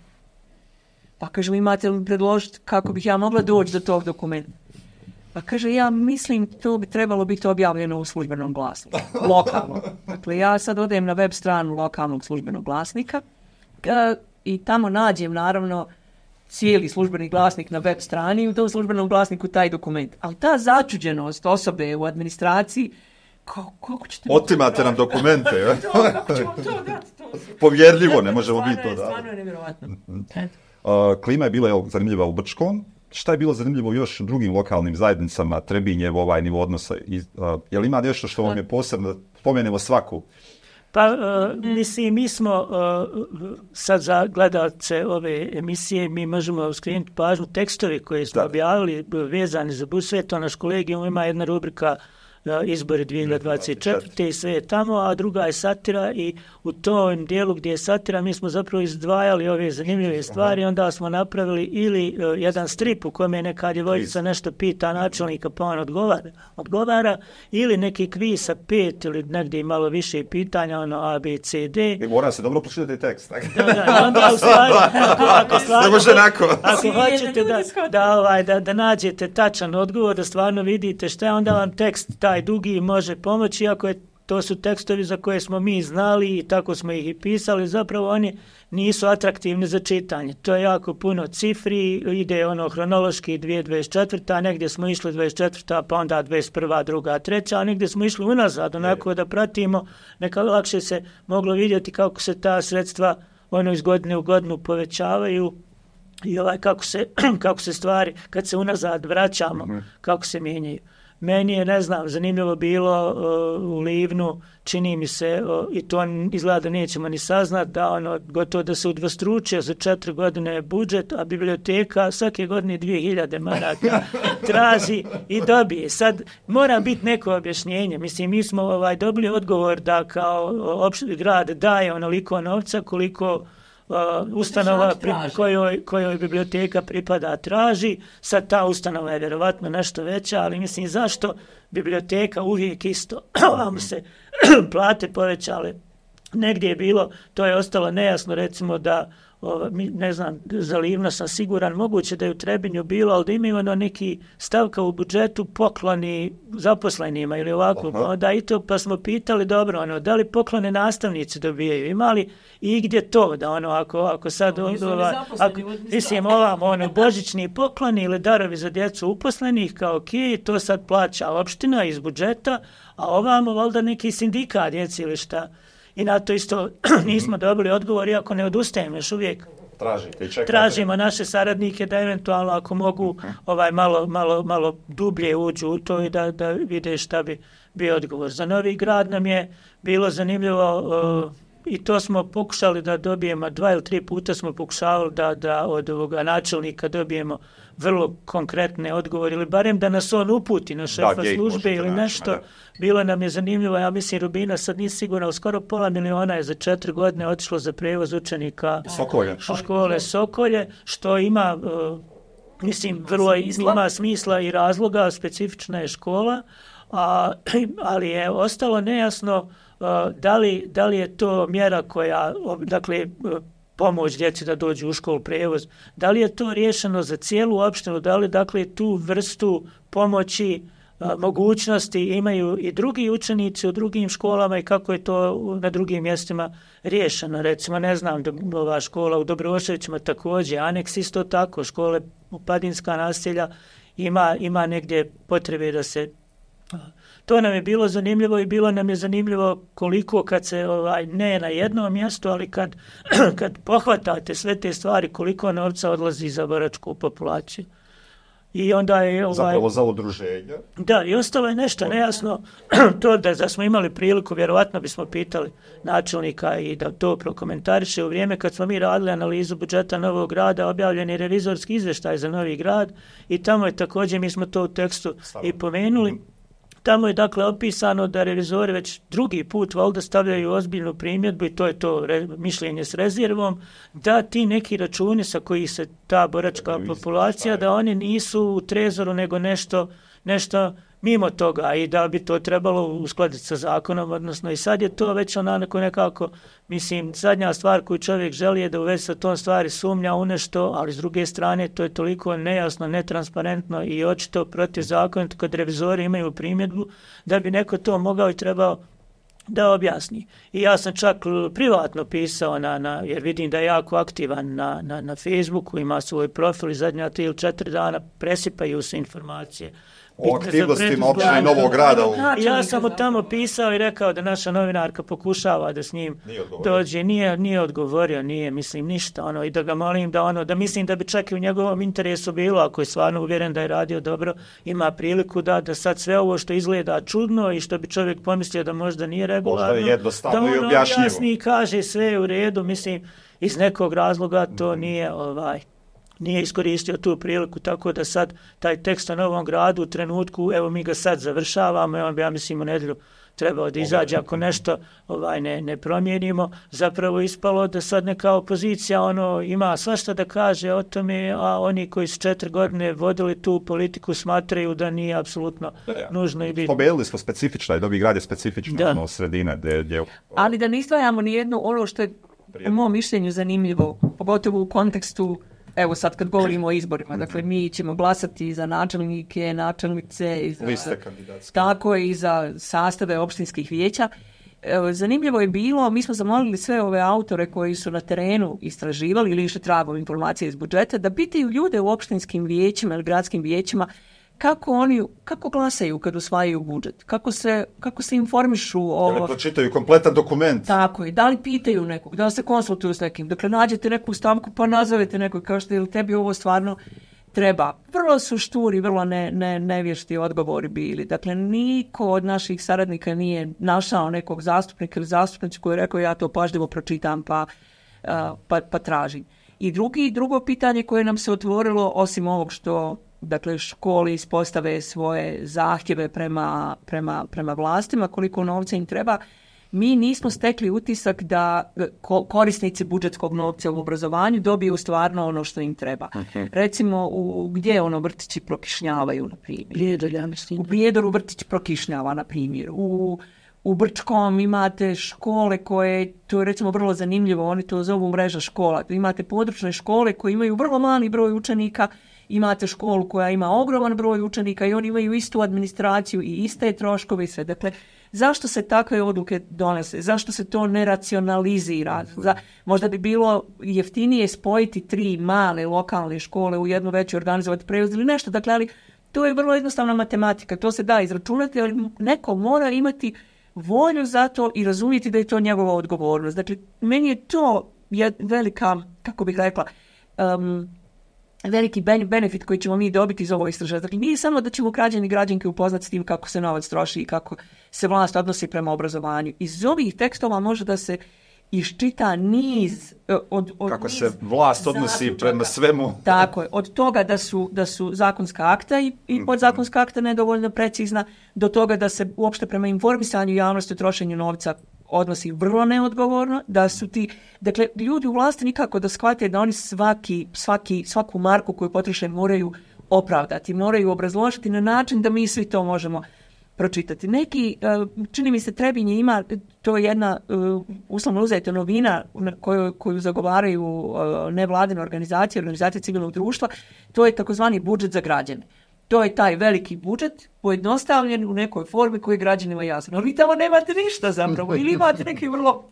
Pa kažem, imate li predložiti kako bih ja mogla doći do tog dokumenta? Pa kaže, ja mislim to bi trebalo biti objavljeno u službenom glasniku. Lokalno. Dakle, ja sad odem na web stranu lokalnog službenog glasnika i tamo nađem, naravno, cijeli službeni glasnik na web strani i u tom službenom glasniku taj dokument. Ali ta začuđenost osobe u administraciji, Kako, kako ćete... Otimate nam dokumente, je? Kako ćemo to dati? To... Povjerljivo, ne možemo biti to dati. Stvarno je nevjerovatno. Uh, klima je bila jel, zanimljiva u Brčkom. Šta je bilo zanimljivo još u drugim lokalnim zajednicama, Trebinjev, ovaj nivo odnosa? I, uh, je li ima nešto što vam je posebno, spomenemo svaku? Pa, uh, mislim, mi smo uh, sad za gledalce ove emisije, mi možemo skrenuti pažnju tekstovi koje smo da. objavili vezani za Busvet, to naš kolegijum ima jedna rubrika izbori dvije hiljade dvadeset četvrte i sve je tamo, a druga je satira i u tom dijelu gdje je satira mi smo zapravo izdvajali ove zanimljive stvari, onda smo napravili ili uh, jedan strip u kojem je neka djevojčica nešto pita načelnika pa on odgovara, odgovara ili neki kviz sa pet ili negdje malo više pitanja, ono A, B, C, D. I mora se dobro pročitati tekst. Tak? Da, da, onda u stvari, ako, ako, stvarno, ako, ako hoćete da, da, ovaj, da, da nađete tačan odgovor, da stvarno vidite šta je, onda vam tekst taj dugi može pomoći, iako je, to su tekstovi za koje smo mi znali i tako smo ih i pisali, zapravo oni nisu atraktivni za čitanje. To je jako puno cifri, ide ono hronološki dvije hiljade dvadeset četvrta, negdje smo išli dvadeset četvrta, pa onda dvadeset prva, druga, treća, a negdje smo išli unazad, onako da pratimo, neka lakše se moglo vidjeti kako se ta sredstva ono iz godine u godinu povećavaju i ovaj kako se, kako se stvari, kad se unazad vraćamo, kako se mijenjaju. Meni je, ne znam, zanimljivo bilo uh, u Livnu, čini mi se, uh, i to izgleda da nećemo ni saznat, da ono, gotovo da se udvostručio za četiri godine budžet, a biblioteka svake godine dvije hiljade maraka traži i dobije. Sad, mora biti neko objašnjenje. Mislim, mi smo ovaj, dobili odgovor da kao opšti grad daje onoliko novca koliko Uh, ustanova pri, kojoj, kojoj biblioteka pripada traži. Sad ta ustanova je vjerovatno nešto veća, ali mislim zašto biblioteka uvijek isto vam se plate povećale negdje je bilo, to je ostalo nejasno, recimo da O, ne znam, za Livno sam siguran, moguće da je u Trebinju bilo, ali da imaju ono neki stavka u budžetu pokloni zaposlenima ili ovako, pa onda i to, pa smo pitali, dobro, ono, da li poklone nastavnici dobijaju, imali i gdje to, da ono, ako, ako sad, ova, ako, mislim, ovam, ono, božićni pokloni ili darovi za djecu uposlenih, kao ok, to sad plaća opština iz budžeta, a ovamo, valjda neki sindikat djeci ili šta. I na to isto nismo dobili odgovor, iako ne odustajemo još uvijek. Tražite i čekate. Tražimo naše saradnike da eventualno ako mogu ovaj malo, malo, malo dublje uđu u to i da, da vide šta bi bio odgovor. Za Novi Grad nam je bilo zanimljivo uh, i to smo pokušali da dobijemo, dva ili tri puta smo pokušavali da, da od ovoga načelnika dobijemo vrlo konkretne odgovore ili barem da nas on uputi na šefa da, službe ili nešto. Da. Bilo nam je zanimljivo, ja mislim Rubina sad nije sigurno, skoro pola miliona je za četiri godine otišlo za prevoz učenika Sokolje. u škole Sokolje, što ima, uh, mislim, vrlo ima smisla i razloga, specifična je škola, a, ali je ostalo nejasno uh, da, li, da li je to mjera koja, dakle, uh, pomoć djeci da dođu u školu, prevoz, da li je to riješeno za cijelu opštinu, da li, dakle, tu vrstu pomoći, a, mogućnosti imaju i drugi učenici u drugim školama i kako je to na drugim mjestima riješeno. Recimo, ne znam, ova škola u Dobroševićima također, aneks isto tako, škole u Padinska naselja ima, ima negdje potrebe da se... To nam je bilo zanimljivo i bilo nam je zanimljivo koliko kad se, ovaj, ne na jednom mjestu, ali kad, kad pohvatate sve te stvari, koliko novca odlazi za boračku populaciju. I onda je... Ovaj, zapravo za udruženje. Da, i ostalo je nešto nejasno. To da, da smo imali priliku, vjerovatno bismo pitali načelnika i da to prokomentariše. U vrijeme kad smo mi radili analizu budžeta Novog Grada, objavljen je revizorski izvještaj za Novi Grad i tamo je također, mi smo to u tekstu Stavno. i pomenuli, tamo je dakle opisano da revizori već drugi put valjda stavljaju ozbiljnu primjedbu i to je to re, mišljenje s rezervom, da ti neki računi sa kojih se ta boračka populacija, da oni nisu u trezoru nego nešto, nešto mimo toga i da bi to trebalo uskladiti sa zakonom, odnosno i sad je to već onako nekako, mislim, zadnja stvar koju čovjek želi je da u vezi sa tom stvari sumnja u nešto, ali s druge strane to je toliko nejasno, netransparentno i očito protivzakonito kad revizori imaju primjedbu da bi neko to mogao i trebao da objasni. I ja sam čak privatno pisao, na, na, jer vidim da je jako aktivan na, na, na Facebooku, ima svoj profil i zadnja tri ili četiri dana presipaju se informacije. O aktivnostima općine Novog Grada. U... Ja sam mu tamo pisao i rekao da naša novinarka pokušava da s njim nije dođe. Nije, nije odgovorio, nije, mislim, ništa. Ono, i da ga molim da ono, da mislim da bi čak i u njegovom interesu bilo, ako je stvarno uvjeren da je radio dobro, ima priliku da, da sad sve ovo što izgleda čudno i što bi čovjek pomislio da možda nije regularno, možda je jednostavno da i objašnjivo. Jasni i kaže sve u redu, mislim, iz nekog razloga to nije ovaj... nije iskoristio tu priliku, tako da sad taj tekst o Novom Gradu u trenutku, evo mi ga sad završavamo, on bi, ja mislim, u nedjelju trebao da izađe ako nešto ovaj ne, ne promijenimo, zapravo ispalo da sad neka opozicija ono ima svašta da kaže o tome, a oni koji su četiri godine vodili tu politiku smatraju da nije apsolutno da, ja. nužno i bitno. Spomenuli smo specifično, i Novi Grad je specifično ono, sredina. Gdje, gdje... Ali da ne izdvajamo nijednu ono što je u mom mišljenju zanimljivo, pogotovo u kontekstu. Evo sad kad govorimo o izborima, dakle mi ćemo glasati za načelnike, načelnice, i za, tako i za sastave opštinskih vijeća. Evo, zanimljivo je bilo, mi smo zamolili sve ove autore koji su na terenu istraživali ili išli tragom informacije iz budžeta, da pitaju ljude u opštinskim vijećima ili gradskim vijećima kako oni, kako glasaju kad usvajaju budžet, kako se, kako se informišu o... Da li pročitaju kompletan dokument? Tako je, da li pitaju nekog, da li se konsultuju s nekim, dakle nađete neku stavku pa nazovete nekog kao što je tebi ovo stvarno treba. Vrlo su šturi, vrlo ne, ne, nevješti odgovori bili. Dakle, niko od naših saradnika nije našao nekog zastupnika ili zastupnicu koji je rekao ja to pažljivo pročitam pa, pa, pa tražim. I drugi, drugo pitanje koje nam se otvorilo, osim ovog što dakle školi ispostave svoje zahtjeve prema, prema, prema vlastima, koliko novca im treba, mi nismo stekli utisak da korisnici budžetskog novca u obrazovanju dobiju stvarno ono što im treba. Okay. Recimo, u, gdje ono vrtići prokišnjavaju, na primjer? Prijedor, ja mislim. U Prijedoru vrtić prokišnjava, na primjer. U, u Brčkom imate škole koje, to je recimo vrlo zanimljivo, oni to zovu mreža škola. Imate područne škole koje imaju vrlo mali broj učenika, imate školu koja ima ogroman broj učenika i oni imaju istu administraciju i iste troškove i sve. Dakle, zašto se takve odluke donese? Zašto se to ne racionalizira? Za, možda bi bilo jeftinije spojiti tri male lokalne škole u jednu veću, organizovati prevoz ili nešto. Dakle, ali to je vrlo jednostavna matematika. To se da izračunati, ali neko mora imati volju za to i razumjeti da je to njegova odgovornost. Dakle, meni je to velika, kako bih rekla, um, veliki benefit koji ćemo mi dobiti iz ovog istraživanja. Dakle, nije samo da ćemo građani i građanke upoznati s tim kako se novac troši i kako se vlast odnosi prema obrazovanju. Iz ovih tekstova može da se iščita niz od, od kako niz se vlast odnosi zaključaka. prema svemu. Tako je, od toga da su, da su zakonska akta i, i podzakonska akta nedovoljno precizna, do toga da se uopšte prema informisanju javnosti o trošenju novca odnosi vrlo neodgovorno, da su ti, dakle, ljudi u vlasti nikako da shvate da oni svaki, svaki, svaku marku koju potroše moraju opravdati, moraju obrazložiti na način da mi svi to možemo pročitati. Neki, čini mi se, Trebinje ima, to je jedna uslovno uzeta novina koju, koju zagovaraju nevladine organizacije, organizacije civilnog društva, to je takozvani budžet za građane. To je taj veliki budžet pojednostavljen u nekoj formi koji je građanima jasno. Ali vi tamo nemate ništa zapravo ili imate neke vrlo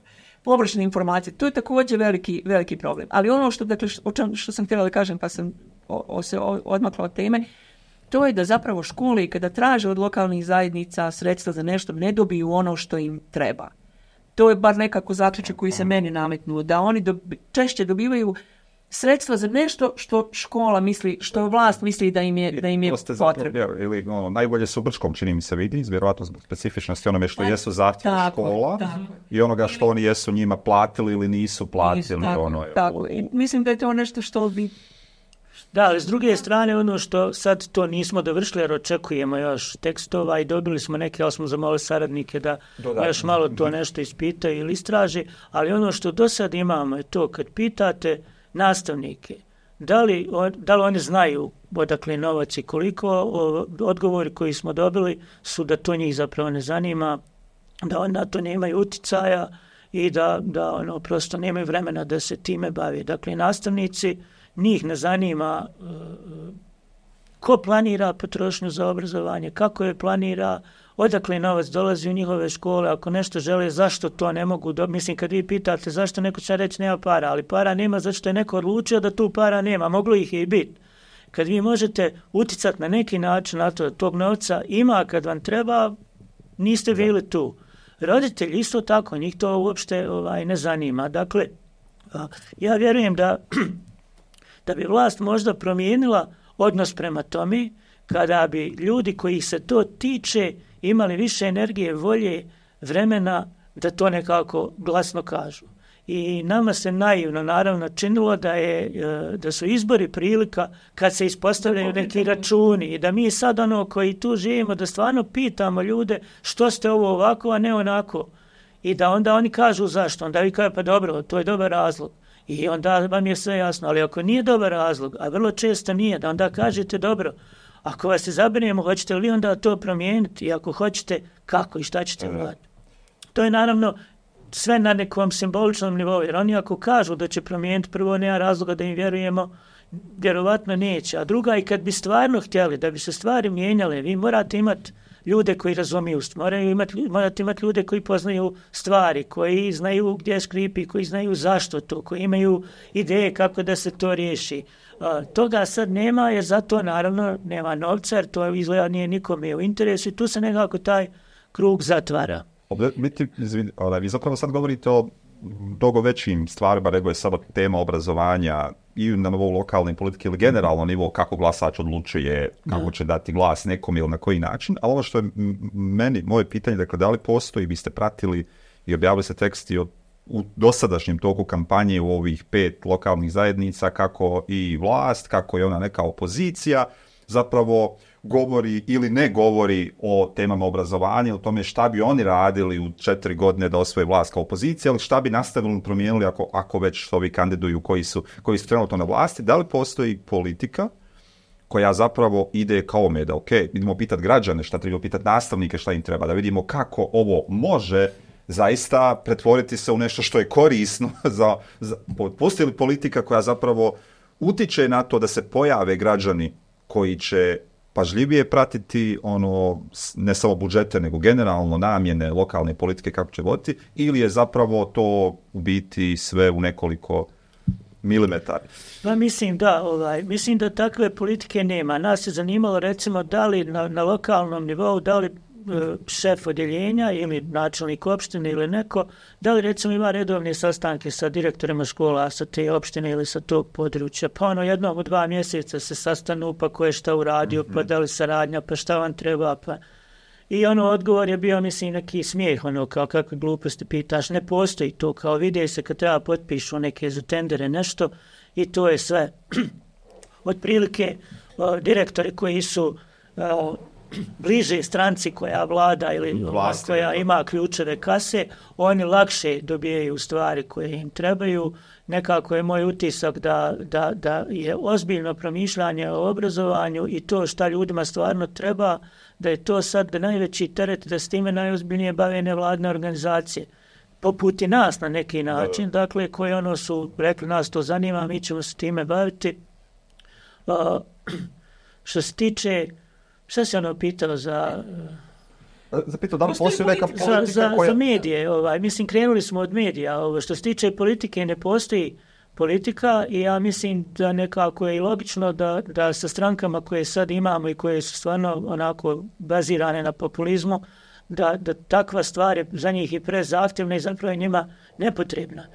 površne informacije. To je također veliki, veliki problem. Ali ono što, dakle, o čem, što sam htjela da kažem pa sam o, o, se odmakla od teme, to je da zapravo škole kada traže od lokalnih zajednica sredstva za nešto ne dobiju ono što im treba. To je bar nekako zaključak koji se meni nametnuo, da oni dobi, češće dobivaju sredstva za nešto što škola misli, što vlast misli da im je, da im je potrebno. Ili, ono, najbolje su u Brčkom, čini mi se, vidi, vjerojatno zbog specifičnosti onome što jesu zahtjevi škola tako. I onoga što oni jesu njima platili ili nisu platili. Nisu, tako, ono, tako. I mislim da je to nešto što bi... Da, ali s druge strane, ono što sad to nismo dovršili, jer očekujemo još tekstova i dobili smo neke, ali smo zamolili saradnike da Dodatno. još malo to nešto ispitaju ili istraže, ali ono što do sad imamo je to kad pitate nastavnike, da li, da li oni znaju odakle novac i koliko, odgovori koji smo dobili su da to njih zapravo ne zanima, da oni na to nemaju uticaja i da, da ono, prosto nemaju vremena da se time bavi. Dakle, nastavnici, njih ne zanima uh, ko planira potrošnju za obrazovanje, kako je planira, odakle novac dolazi u njihove škole, ako nešto žele, zašto to ne mogu dobiti. Mislim, kad vi pitate zašto, neko će reći nema para, ali para nema zato što je neko odlučio da tu para nema, moglo ih je i biti. Kad vi možete uticati na neki način na to da tog novca ima kad vam treba, niste bili tu. Roditelji isto tako, njih to uopšte ovaj, ne zanima. Dakle, ja vjerujem da da bi vlast možda promijenila odnos prema tome, kada bi ljudi koji se to tiče imali više energije, volje, vremena da to nekako glasno kažu. I nama se naivno naravno činilo da, je, da su izbori prilika kad se ispostavljaju neki računi i da mi sad ono koji tu živimo da stvarno pitamo ljude što ste ovo ovako, a ne onako. I da onda oni kažu zašto. Onda vi kažu pa dobro, to je dobar razlog. I onda vam je sve jasno, ali ako nije dobar razlog, a vrlo često nije, da onda kažete dobro, ako vas se zabrinemo, hoćete li onda to promijeniti i ako hoćete, kako i šta ćete uraditi. To je naravno sve na nekom simboličnom nivou, jer oni ako kažu da će promijeniti, prvo nema razloga da im vjerujemo, vjerovatno neće, a druga i kad bi stvarno htjeli da bi se stvari mijenjale, vi morate imati ljude koji razumiju, moraju imati, morate imati ljude koji poznaju stvari, koji znaju gdje škripi, koji znaju zašto to, koji imaju ideje kako da se to riješi. A, toga sad nema jer zato naravno nema novca jer to izgleda nije nikome u interesu i tu se nekako taj krug zatvara. Vi zapravo sad govorite o mnogo većim stvarima nego je sada tema obrazovanja i na nivou lokalne politike ili generalno nivo kako glasač odlučuje, kako da. će dati glas nekom ili na koji način. Ali ovo što je meni, moje pitanje, dakle, da li postoji, vi ste pratili i objavili se teksti od, u dosadašnjem toku kampanje u ovih pet lokalnih zajednica, kako i vlast, kako je ona neka opozicija, zapravo govori ili ne govori o temama obrazovanja, o tome šta bi oni radili u četiri godine da osvoje vlast kao opozicija, ali šta bi nastavili promijenili ako, ako već ovi kandiduju koji su, koji su trenutno na vlasti. Da li postoji politika koja zapravo ide kao me da, ok, idemo pitati građane šta treba, pitati nastavnike šta im treba, da vidimo kako ovo može zaista pretvoriti se u nešto što je korisno za, za postoji li politika koja zapravo utiče na to da se pojave građani koji će pažljivije pratiti ono, ne samo budžete, nego generalno namjene lokalne politike kako će voditi, ili je zapravo to u biti sve u nekoliko milimetara? Pa mislim da, ovaj, mislim da takve politike nema. Nas je zanimalo recimo da li na, na lokalnom nivou, da li e, šef odjeljenja ili načelnik opštine ili neko, da li recimo ima redovne sastanke sa direktorima škola sa te opštine ili sa tog područja, pa ono jednom u dva mjeseca se sastanu, pa ko je šta uradio, mm-hmm. pa da li saradnja, pa šta vam treba, pa... I ono odgovor je bio, mislim, neki smijeh, ono, kao kakve gluposti pitaš, ne postoji to, kao vide se kad treba potpišu neke za tendere nešto i to je sve. Otprilike, o, direktori koji su o, bliže stranci koja vlada ili Vlasti, koja ima ključeve kase, oni lakše dobijaju stvari koje im trebaju. Nekako je moj utisak da, da, da je ozbiljno promišljanje o obrazovanju i to šta ljudima stvarno treba, da je to sad najveći teret, da s time najozbiljnije bave nevladne organizacije. Poput i nas na neki način, dakle, koje ono su rekli, nas to zanima, mi ćemo se time baviti. Uh, što se tiče, šta se ono pitalo za... Zapitao da li postoji neka politika za, za, koja... za medije, ovaj, mislim, krenuli smo od medija. Ovo, što se tiče politike, ne postoji politika i ja mislim da nekako je i logično da, da sa strankama koje sad imamo i koje su stvarno onako bazirane na populizmu, da, da takva stvar je za njih i prezahtjevna i zapravo je njima nepotrebna.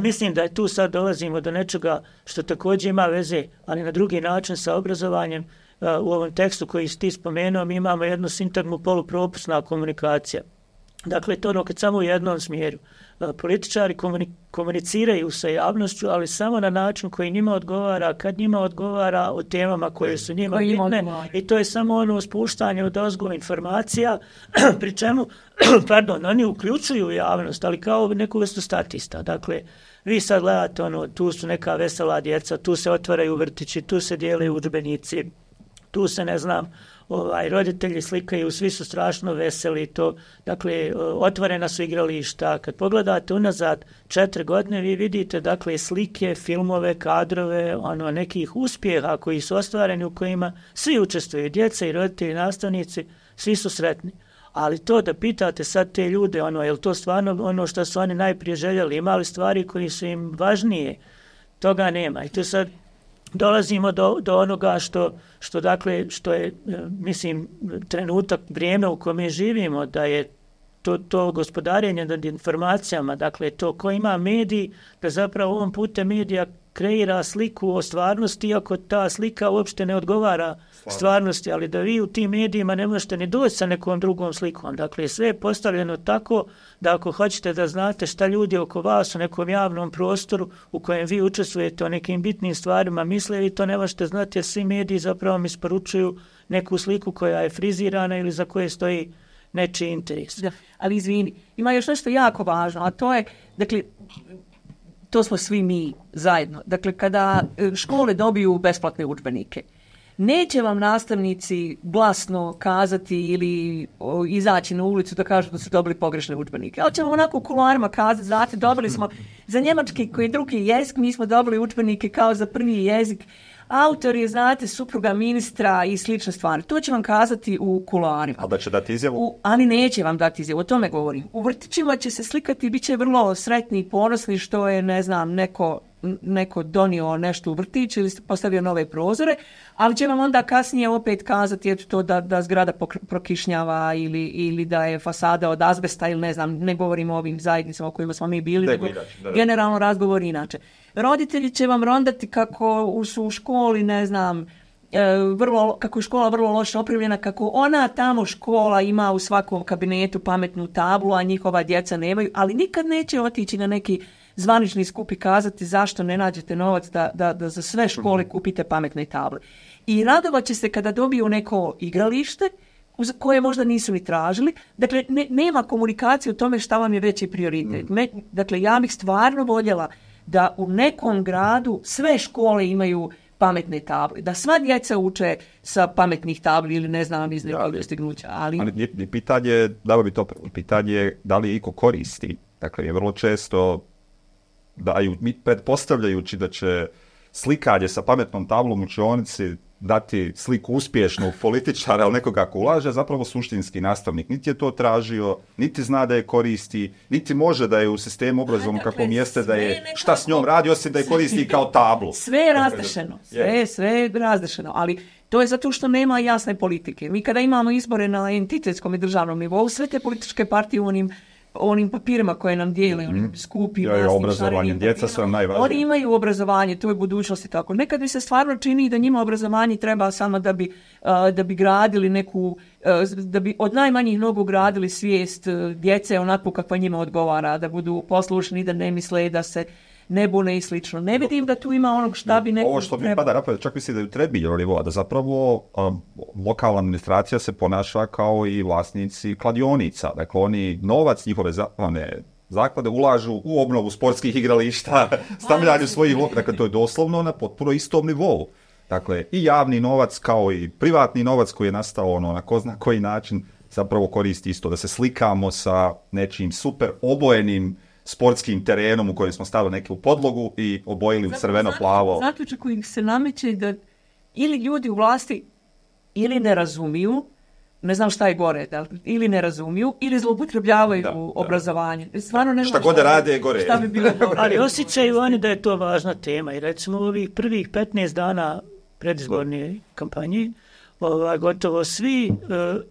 Mislim da je tu sad dolazimo do nečega što također ima veze, ali na drugi način sa obrazovanjem. Uh, u ovom tekstu koji si ti spomenuo, mi imamo jednu sintagmu polupropusna komunikacija. Dakle, to ono kad samo u jednom smjeru. Uh, političari komuni- komuniciraju sa javnošću, ali samo na način koji njima odgovara, kad njima odgovara o temama koje su njima bitne. I to je samo ono spuštanje od ozgo informacija, pri čemu, pardon, oni uključuju javnost, ali kao neku vrstu statista. Dakle, vi sad gledate, ono, tu su neka vesela djeca, tu se otvaraju vrtići, tu se dijele udžbenici, tu se, ne znam, ovaj, roditelji slikaju, svi su strašno veseli, to, dakle, otvorena su igrališta. Kad pogledate unazad četiri godine, vi vidite, dakle, slike, filmove, kadrove, ono, nekih uspjeha koji su ostvareni, u kojima svi učestvuju, djeca i roditelji, nastavnici, svi su sretni. Ali to da pitate sad te ljude, ono, je li to stvarno ono što su oni najprije željeli, imali stvari koji su im važnije, toga nema. I to sad dolazimo do, do onoga što, što, dakle, što je, mislim, trenutak, vrijeme u kome živimo, da je to, to gospodarenje nad informacijama, dakle, to ko ima mediji, da zapravo ovom putem medija kreira sliku o stvarnosti, iako ta slika uopšte ne odgovara stvarnosti, ali da vi u tim medijima ne možete ni doći sa nekom drugom slikom. Dakle, sve je postavljeno tako da ako hoćete da znate šta ljudi oko vas u nekom javnom prostoru u kojem vi učestvujete o nekim bitnim stvarima misle, vi to ne možete znati jer svi mediji zapravo mi isporučuju neku sliku koja je frizirana ili za koje stoji nečiji interes. Da, ali izvini, ima još nešto jako važno, a to je, dakle, to smo svi mi zajedno. Dakle, kada škole dobiju besplatne udžbenike, neće vam nastavnici glasno kazati ili o, izaći na ulicu da kažu da su dobili pogrešne udžbenike. Ali ćemo onako u kuloarima kazati, znate, dobili smo za njemački koji je drugi jezik, mi smo dobili udžbenike kao za prvi jezik. Autor je, znate, supruga ministra i slične stvari. To će vam kazati u kuloarima. Ali da će dati izjavu? U, ali neće vam dati izjavu, o tome govorim. U vrtićima će se slikati i bit će vrlo sretni i ponosni što je, ne znam, neko, neko donio nešto u vrtić ili postavio nove prozore, ali će vam onda kasnije opet kazati eto to da, da zgrada prokišnjava ili, ili da je fasada od azbesta ili ne znam, ne govorimo o ovim zajednicama o kojima smo mi bili, nego generalno razgovor inače. Roditelji će vam rondati kako su u školi, ne znam, vrlo, kako je škola vrlo loše opremljena, kako ona tamo škola ima u svakom kabinetu pametnu tablu, a njihova djeca nemaju, ali nikad neće otići na neki zvanični skup i kazati zašto ne nađete novac da, da, da za sve škole kupite pametne table. I radovat će se kada dobiju neko igralište koje možda nisu ni tražili. Dakle, ne, nema komunikacije o tome šta vam je veći prioritet. Me, dakle, ja bih stvarno voljela da u nekom gradu sve škole imaju pametne table. Da sva djeca uče sa pametnih tabli ili ne znam iz nekog dostignuća. Ali, ali nije, nije pitanje, da bi to prvo, pitanje je da li iko koristi. Dakle, je vrlo često daju, pretpostavljajući da će slikanje sa pametnom tablom u učionici dati sliku uspješnog političara ili nekoga ko ulaže, zapravo suštinski nastavnik niti je to tražio, niti zna da je koristi, niti može da je u sistemu obrazovnom dakle, kakvom jeste da je šta s njom radi, osim da je koristi kao tablu. Sve je razdešeno, sve, sve je razdešeno, ali to je zato što nema jasne politike. Mi kada imamo izbore na entitetskom i državnom nivou, sve te političke partije u onim onim papirima koje nam dijele, onim skupi, ja, ja, obrazovanje, djeca su nam najvažnije. Oni imaju obrazovanje, to je budućnost i tako. Nekad mi se stvarno čini da njima obrazovanje treba samo da bi, uh, da bi gradili neku, uh, da bi od najmanjih nogu gradili svijest uh, djece onako kakva njima odgovara, da budu poslušni, da ne misle, da se ne bune i slično. Ne vidim da tu ima onog šta bi neko... Ovo što mi pada napraviti, čak mislim da je u Trebinju nivou, da zapravo um, lokalna administracija se ponaša kao i vlasnici kladionica. Dakle, oni novac njihove zaklade, zaklade ulažu u obnovu sportskih igrališta, stavljanju svojih... Dakle, to je doslovno na potpuno istom nivou. Dakle, i javni novac kao i privatni novac koji je nastao ono, na ko zna koji način zapravo koristi isto. Da se slikamo sa nečim super obojenim sportskim terenom u kojem smo stavili neku podlogu i obojili u crveno-plavo. Zaključak koji se nameće da ili ljudi u vlasti ili ne razumiju, ne znam šta je gore, da, ili ne razumiju, ili zloupotrebljavaju da, obrazovanje. Stvarno ne šta god rade je gore. Šta bi bilo gore. Ali osjećaju oni da je to važna tema i recimo u ovih prvih petnaest dana predizborne kampanje Ova, gotovo svi uh,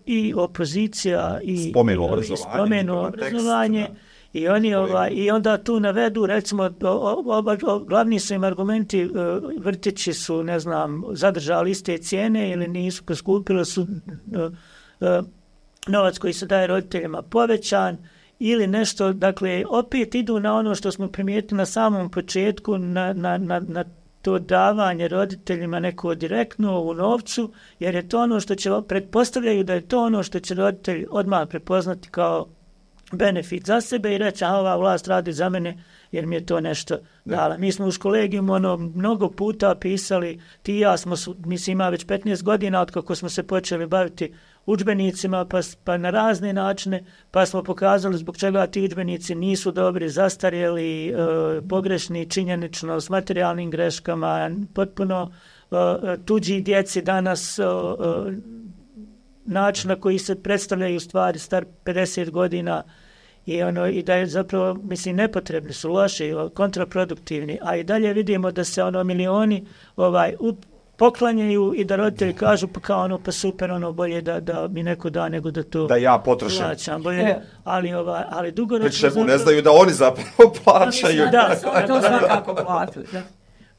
i opozicija i spomenu obrazovanje, spomenu obrazovanje i oni ova, i onda tu navedu recimo o, o, o, glavni su im argumenti uh, vrtići su ne znam zadržali iste cijene ili nisu poskupili su uh, uh, novac koji se daje roditeljima povećan ili nešto, dakle opet idu na ono što smo primijetili na samom početku na, na, na, na to davanje roditeljima neko direktno u novcu, jer je to ono što će, pretpostavljaju da je to ono što će roditelj odmah prepoznati kao benefit za sebe i reći, a ova vlast radi za mene jer mi je to nešto dala. Mi smo u kolegijumu ono, mnogo puta pisali, ti i ja smo, mislim ima već petnaest godina od kako smo se počeli baviti udžbenicima, pa, pa na razne načine, pa smo pokazali zbog čega ti udžbenici nisu dobri, zastarjeli, e, pogrešni, činjenično, s materijalnim greškama, potpuno e, tuđi djeci danas, e, e, način na koji se predstavljaju stvari star pedeset godina i, ono, i da je zapravo, mislim, nepotrebni su, loši, kontraproduktivni, a i dalje vidimo da se ono milioni ovaj, up, poklanjaju i da roditelji kažu pa kao ono pa super, ono bolje da, da mi neko da nego da to da ja potrošim. Plaćam, bolje, e. ali, ovaj, ali dugoročno... Zapravo... ne znaju da oni zapravo plaćaju. Da, da, to svakako plaćaju. Da.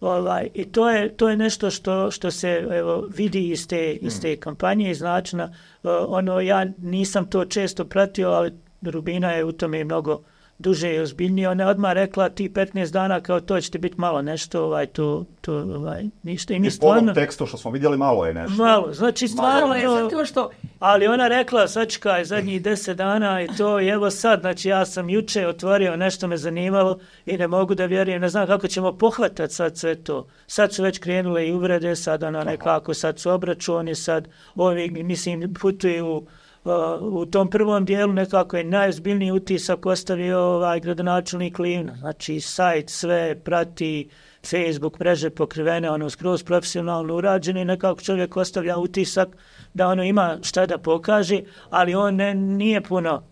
Ovaj, i to je, to je nešto što, što se evo, vidi iz te, iz te kampanje, iz načina. Uh, ono, ja nisam to često pratio, ali Rubina je u tome mnogo duže i ozbiljnije. Ona je odmah rekla ti petnaest dana kao to će ti biti malo nešto, ovaj, to, to ovaj, ništa. I mi I stvarno... po ovom tekstu što smo vidjeli malo je nešto. Malo, znači stvarno je to što... Ali ona rekla, sačekaj, zadnjih deset dana i to, i evo sad, znači ja sam juče otvorio, nešto me zanimalo i ne mogu da vjerujem, ne znam kako ćemo pohvatati sad sve to. Sad su već krenule i uvrede, sad ona nekako, sad su obračuni, sad ovi, mislim, putuju u tom prvom dijelu nekako je najozbiljniji utisak ostavio ovaj gradonačelnik Livna. Znači sajt sve prati, Facebook mreže pokrivene, ono skroz profesionalno urađene i nekako čovjek ostavlja utisak da ono ima šta da pokaže, ali on ne, nije puno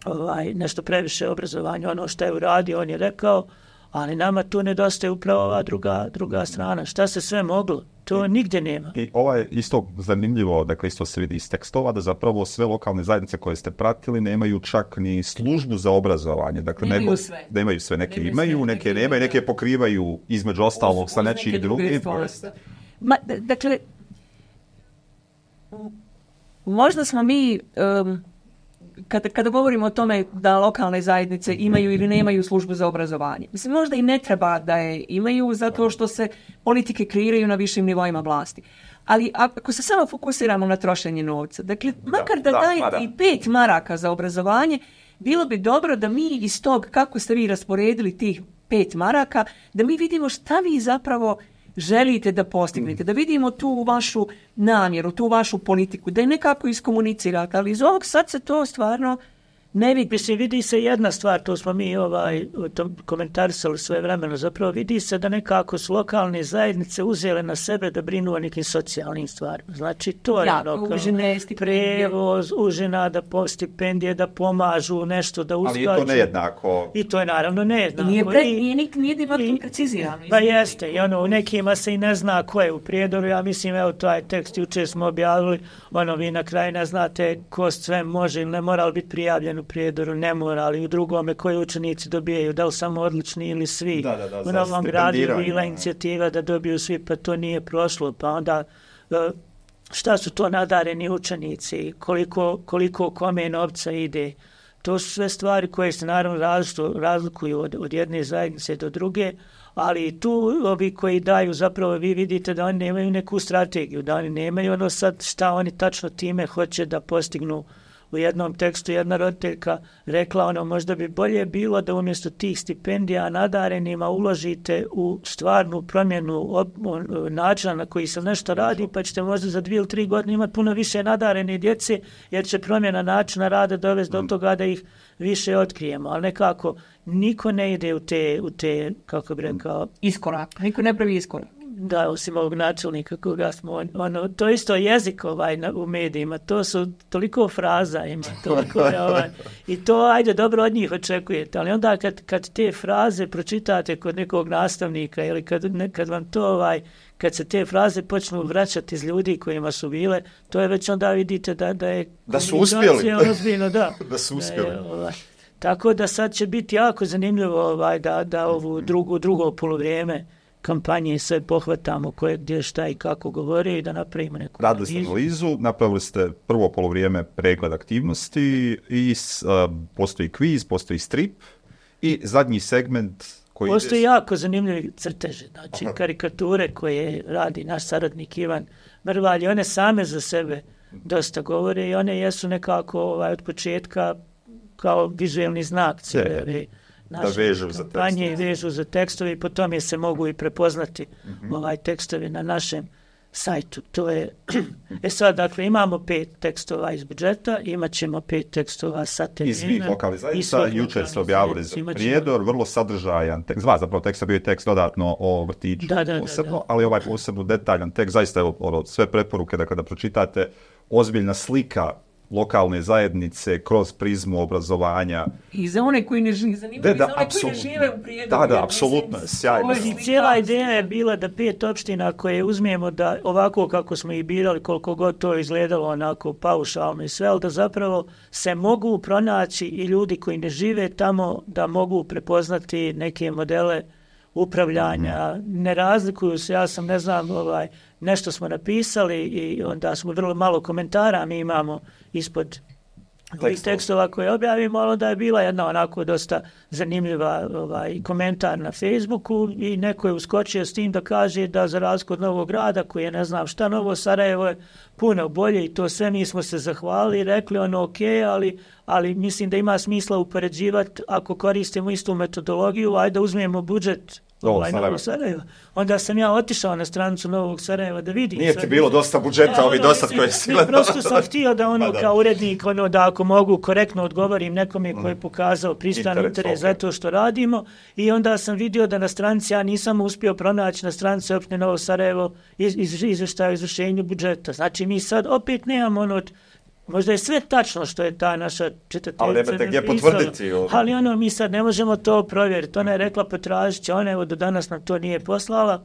ovaj, nešto previše obrazovanja, ono što je uradio, on je rekao, ali nama tu nedostaje upravo ova druga, druga strana. Šta se sve moglo? To nigdje nema. I ovo je isto zanimljivo, dakle isto se vidi iz tekstova, da zapravo sve lokalne zajednice koje ste pratili nemaju čak ni službu za obrazovanje. Dakle, nemaju nego, sve. Da imaju sve. Neke nemaju imaju, sve, neke, neke nemaju, neke pokrivaju između ostalog sa nečih drugih. Ma, dakle, možda smo mi... Um, Kada, kada govorimo o tome da lokalne zajednice imaju ili nemaju službu za obrazovanje. Mislim, možda i ne treba da je imaju zato što se politike kreiraju na višim nivoima vlasti. Ali ako se samo fokusiramo na trošenje novca, dakle, makar da, da, da dajete i pet maraka za obrazovanje, bilo bi dobro da mi iz tog, kako ste vi rasporedili tih pet maraka, da mi vidimo šta vi zapravo želite da postignete, da vidimo tu vašu namjeru, tu vašu politiku, da je nekako iskomunicirate, ali iz ovog sad se to stvarno ne vidi. Mislim, vidi se jedna stvar, to smo mi ovaj, to komentarisali sve vremeno, zapravo vidi se da nekako su lokalne zajednice uzele na sebe da brinu o nekim socijalnim stvarima. Znači, to je ja, ono, užine, prevoz, užina, da po stipendije, da pomažu nešto, da uskaču. Ali je to nejednako. I to je naravno nejednako. Nije, pre, I, nije, nije, nije, nije precizirano. Pa jeste, i ono, u nekima se i ne zna ko je u Prijedoru, ja mislim, evo, taj tekst jučer smo objavili, ono, vi na kraju ne znate ko sve može ili ne mora biti prijavljen u Prijedoru, ne mora, ali u drugome koji učenici dobijaju, da li samo odlični ili svi. Da, da, da, u Novom Gradu je bila inicijativa da dobiju svi, pa to nije prošlo, pa onda šta su to nadareni učenici, koliko, koliko kome novca ide. To su sve stvari koje se naravno razlikuju od, od jedne zajednice do druge, ali tu ovi koji daju, zapravo vi vidite da oni nemaju neku strategiju, da oni nemaju ono sad šta oni tačno time hoće da postignu. U jednom tekstu jedna roditeljka rekla ono, možda bi bolje bilo da umjesto tih stipendija nadarenima uložite u stvarnu promjenu ob, načina na koji se nešto radi, pa ćete možda za dvije ili tri godine imati puno više nadarene djece, jer će promjena načina rada dovesti do toga da ih više otkrijemo. Ali nekako niko ne ide u te, u te kako bi rekao, iskorak. Niko ne pravi iskorak. Da, osim ovog načelnika koga smo, ono, to isto jezik ovaj na, u medijima, to su toliko fraza ima, toliko je ovaj, i to, ajde, dobro od njih očekujete, ali onda kad, kad te fraze pročitate kod nekog nastavnika ili kad, kad vam to, ovaj, kad se te fraze počnu vraćati iz ljudi kojima su bile, to je već onda vidite da, da je... Da su uspjeli. Ozbiljno, da. da su uspjeli. Da je, ovaj, tako da sad će biti jako zanimljivo ovaj, da, da ovu drugu, drugo polovrijeme kampanje sve pohvatamo koje, gdje, šta i kako govore i da napravimo neku Radili ste analizu, napravili ste prvo polovrijeme pregled aktivnosti i uh, postoji kviz, postoji strip i zadnji segment koji... Postoji jako zanimljivi crteže, znači Aha. karikature koje radi naš saradnik Ivan Mrvalj, one same za sebe dosta govore i one jesu nekako ovaj, od početka kao vizuelni znak cijele da vežu za tekstove. vežu za tekstove i po tome se mogu i prepoznati mm-hmm. ovaj tekstovi na našem sajtu. To je, e sad, dakle, imamo pet tekstova iz budžeta, imat ćemo pet tekstova sa terena. Iz svih lokalnih zajednica, jučer ste objavili za Prijedor, vrlo sadržajan tekst, dva zapravo teksta, bio je tekst dodatno o vrtiću da, da, posebno, da, da. ali ovaj posebno detaljan tekst, zaista je ono, sve preporuke da kada pročitate, ozbiljna slika lokalne zajednice kroz prizmu obrazovanja. I za one koji ne žive, zanimljivo, da, i za one apsolutno. koji ne žive u Prijedoru. Da, da, apsolutno, sjajno. I cijela ideja je bila da pet opština koje uzmijemo da ovako kako smo ih birali, koliko god to izgledalo onako paušalno i sve, ali da zapravo se mogu pronaći i ljudi koji ne žive tamo da mogu prepoznati neke modele upravljanja, mm-hmm. ne razlikuju se, ja sam ne znam, ovaj, nešto smo napisali i onda smo vrlo malo komentara mi imamo ispod ovih tekstova koje objavimo, ali onda je bila jedna onako dosta zanimljiva ovaj, komentar na Facebooku i neko je uskočio s tim da kaže da za razliku od Novog Grada, koji je ne znam šta, Novo Sarajevo je puno bolje i to sve mi smo se zahvalili i rekli ono ok, ali, ali mislim da ima smisla upoređivati ako koristimo istu metodologiju, ajde uzmemo budžet ovaj, Novo Sarajevo. Onda sam ja otišao na stranicu Novog Sarajeva da vidim. Nije ti bilo dosta budžeta, ovi dosta koji si gledao. Prosto sam htio da ono pa da. kao urednik, ono da ako mogu korektno odgovorim nekome koji je pokazao pristan interes, interes okay. za to što radimo i onda sam vidio da na stranici ja nisam uspio pronaći na stranici opštine Novo Sarajevo iz, iz, izveštaja o izvršenju budžeta. Znači mi sad opet nemamo ono od možda je sve tačno što je ta naša čitateljica. Ali nemate gdje potvrditi. Ovo. Ali ono, mi sad ne možemo to provjeriti. Ona je rekla potražit će, ona evo do danas nam to nije poslala.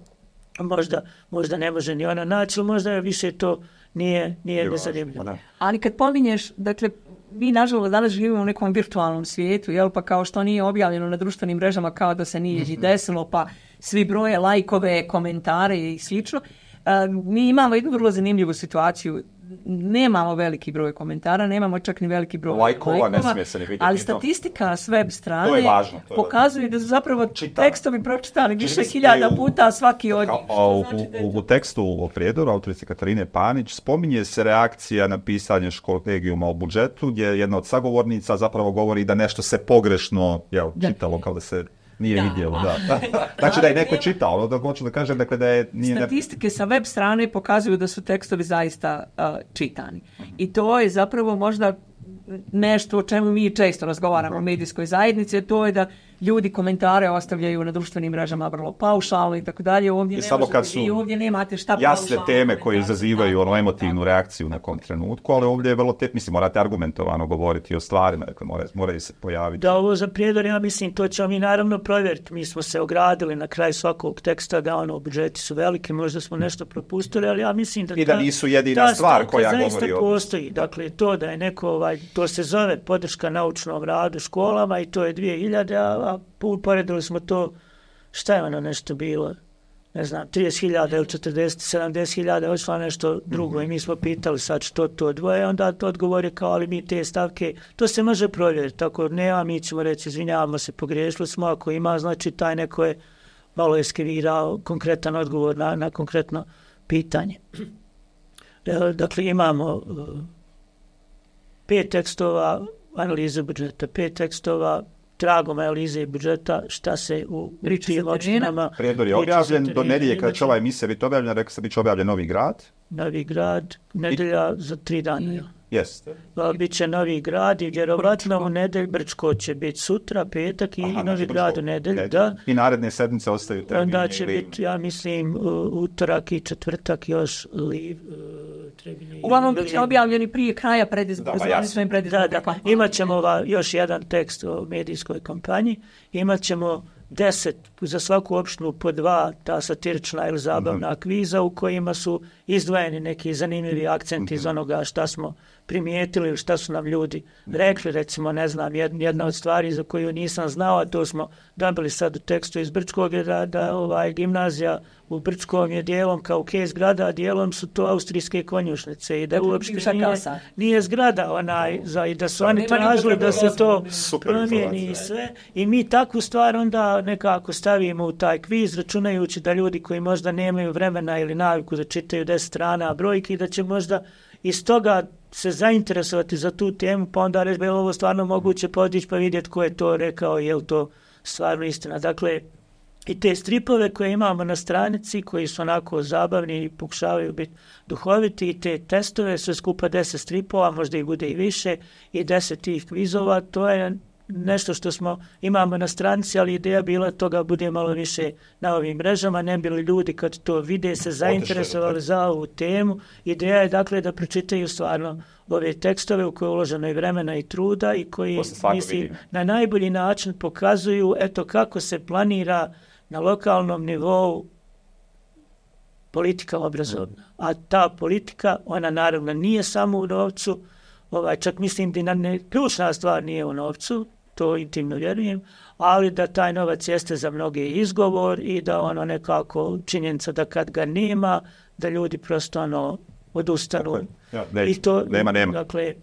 Možda, možda ne može ni ona naći, možda je više to nije, nije nezanimljivo. Ali kad pominješ, dakle, mi nažalost danas živimo u nekom virtualnom svijetu, jel, pa kao što nije objavljeno na društvenim mrežama kao da se nije mm-hmm. desilo, pa svi broje lajkove, komentare i slično. Uh, mi imamo jednu vrlo zanimljivu situaciju. Nemamo veliki broj komentara, nemamo čak ni veliki broj lajkova, lajkova, ne smije se ne vidjeti. Ali statistika s web strane to je važno, to je pokazuje da su zapravo Čita. tekstovi pročitani više hiljada puta svaki od njih. U, znači u, u tekstu o Prijedoru, autorice Katarine Panić, spominje se reakcija na pisanje kolegijuma o budžetu, gdje jedna od sagovornica zapravo govori da nešto se pogrešno jel, čitalo, kao da se... nije Da. vidjelo. Da. Znači da je neko čitao, ono da hoću da kažem dakle, da je... Nije Statistike sa web strane pokazuju da su tekstovi zaista uh, čitani. I to je zapravo možda nešto o čemu mi često razgovaramo u medijskoj zajednici, to je da ljudi komentare ostavljaju na društvenim mrežama vrlo paušalno i tako dalje. Ovdje I ne samo možete, kad su vi ovdje nemate šta jasne paušalno teme koje komentar. izazivaju ono emotivnu reakciju na kom trenutku, ali ovdje je vrlo te, mislim, morate argumentovano govoriti o stvarima, dakle, moraju, moraju se pojaviti. Da, ovo za prijedor, ja mislim, to ćemo mi naravno provjeriti. Mi smo se ogradili na kraju svakog teksta, da ono, budžeti su veliki, možda smo nešto propustili, ali ja mislim da... I da ta, nisu jedina ta stvar koja zaista govori o... postoji. Dakle, to da je neko, ovaj, to se zove podrška naučnom radu školama i to je dvije hiljade, a, a uporedili smo to, šta je ono nešto bilo, ne znam, trideset hiljada ili četrdeset, sedamdeset hiljada, ošla nešto drugo i mi smo pitali sad što to dvoje, onda to odgovor je kao, ali mi te stavke, to se može provjeriti, tako nema, mi ćemo reći, izvinjavamo se, pogriješili smo, ako ima, znači taj neko je malo eskivirao konkretan odgovor na, na konkretno pitanje. Dakle, imamo pet tekstova analize budžeta, pet tekstova tragom analize budžeta, šta se u tim opštinama... Prijedor je objavljen, do nedjelje kada će ova emisija biti objavljena, rekao se bit će objavljen Novi Grad. Novi Grad, nedjelja za tri dana. I, Jeste. Biće Novi Grad i vjerovatno u nedelj Brčko će biti sutra, petak i Aha, Novi znači Grad Brčko, u nedelj, nedelj. da. I naredne sedmice ostaju termini. Onda će ili... biti, ja mislim, utorak i četvrtak još liv. Trebili, Uglavnom bit će objavljeni prije kraja predizbora. Da, da, imat ćemo ova, još jedan tekst o medijskoj kampanji, imat ćemo deset, za svaku opštinu po dva ta satirična ili zabavna mm-hmm. kviza u kojima su izdvojeni neki zanimljivi akcenti mm-hmm. iz onoga šta smo primijetili ili šta su nam ljudi rekli. Recimo, ne znam, jedna od stvari za koju nisam znao, a to smo dobili sad u tekstu iz Brčkog, je da, da ovaj, gimnazija u Brčkom je dijelom kao case zgrada, a dijelom su to austrijske konjušnice i da uopšte nije, nije zgrada onaj, za, i da su oni tražili da se to promijeni i sve. I mi takvu stvar onda nekako stavimo u taj kviz, računajući da ljudi koji možda nemaju vremena ili naviku da čitaju deset strana brojki i da će možda iz toga se zainteresovati za tu temu, pa onda reći, je ovo stvarno moguće podići pa vidjeti ko je to rekao, je li to stvarno istina. Dakle, i te stripove koje imamo na stranici, koji su onako zabavni i pokušavaju biti duhoviti, i te testove, sve skupa deset stripova, možda i bude i više, i deset tih kvizova, to je nešto što smo imamo na stranici, ali ideja bila toga bude malo više na ovim mrežama, ne bili ljudi kad to vide se zainteresovali za ovu temu. Ideja je dakle da pročitaju stvarno ove tekstove u koje je uloženo i vremena i truda i koji mislim, na najbolji način pokazuju eto kako se planira na lokalnom nivou politika obrazovna. A ta politika, ona naravno nije samo u novcu, ovaj, čak mislim da ne, ključna stvar nije u novcu, to intimno vjerujem, ali da taj novac jeste za mnoge izgovor i da ono nekako činjenica da kad ga nema, da ljudi prosto ono odustanu. Ja, ne, I to, nema, nema. Dakle,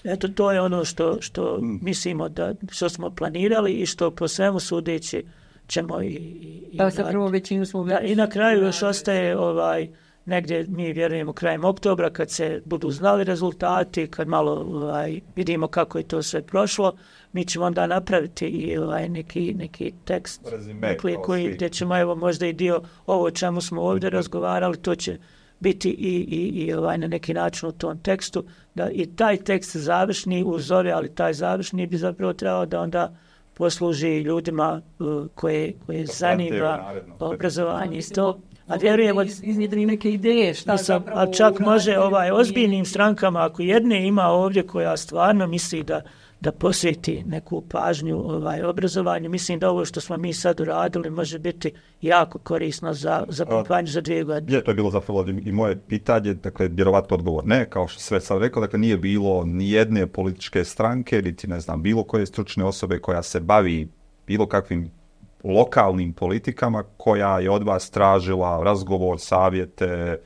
eto, to je ono što, što mm. mislimo da, što smo planirali i što po svemu sudeći ćemo i... i, i, da, sa prvo većinu smo... Da, i na kraju još ostaje ovaj... negdje mi vjerujemo krajem oktobra kad se budu znali rezultati, kad malo ovaj, vidimo kako je to sve prošlo, mi ćemo onda napraviti i ovaj, neki, neki tekst dakle, koji, gdje ćemo evo možda i dio ovo o čemu smo ovdje razgovarali, to će biti i, i, i ovaj, na neki način u tom tekstu, da i taj tekst završni uzore, ali taj završni bi zapravo trebao da onda posluži ljudima uh, koje, koje zanima obrazovanje i to. A vjerujemo iznjedri neke ideje šta sam, a čak može ovaj ozbiljnim strankama, ako jedne ima ovdje koja stvarno misli da da posveti neku pažnju ovaj obrazovanju, mislim da ovo što smo mi sad uradili može biti jako korisno za za kampanju za dvije godine. Je, to je bilo zapravo i moje pitanje, dakle vjerovatno odgovor ne, kao što sve sam rekao, dakle nije bilo ni jedne političke stranke, niti ne znam bilo koje stručne osobe koja se bavi bilo kakvim lokalnim politikama koja je od vas tražila razgovor, savjete,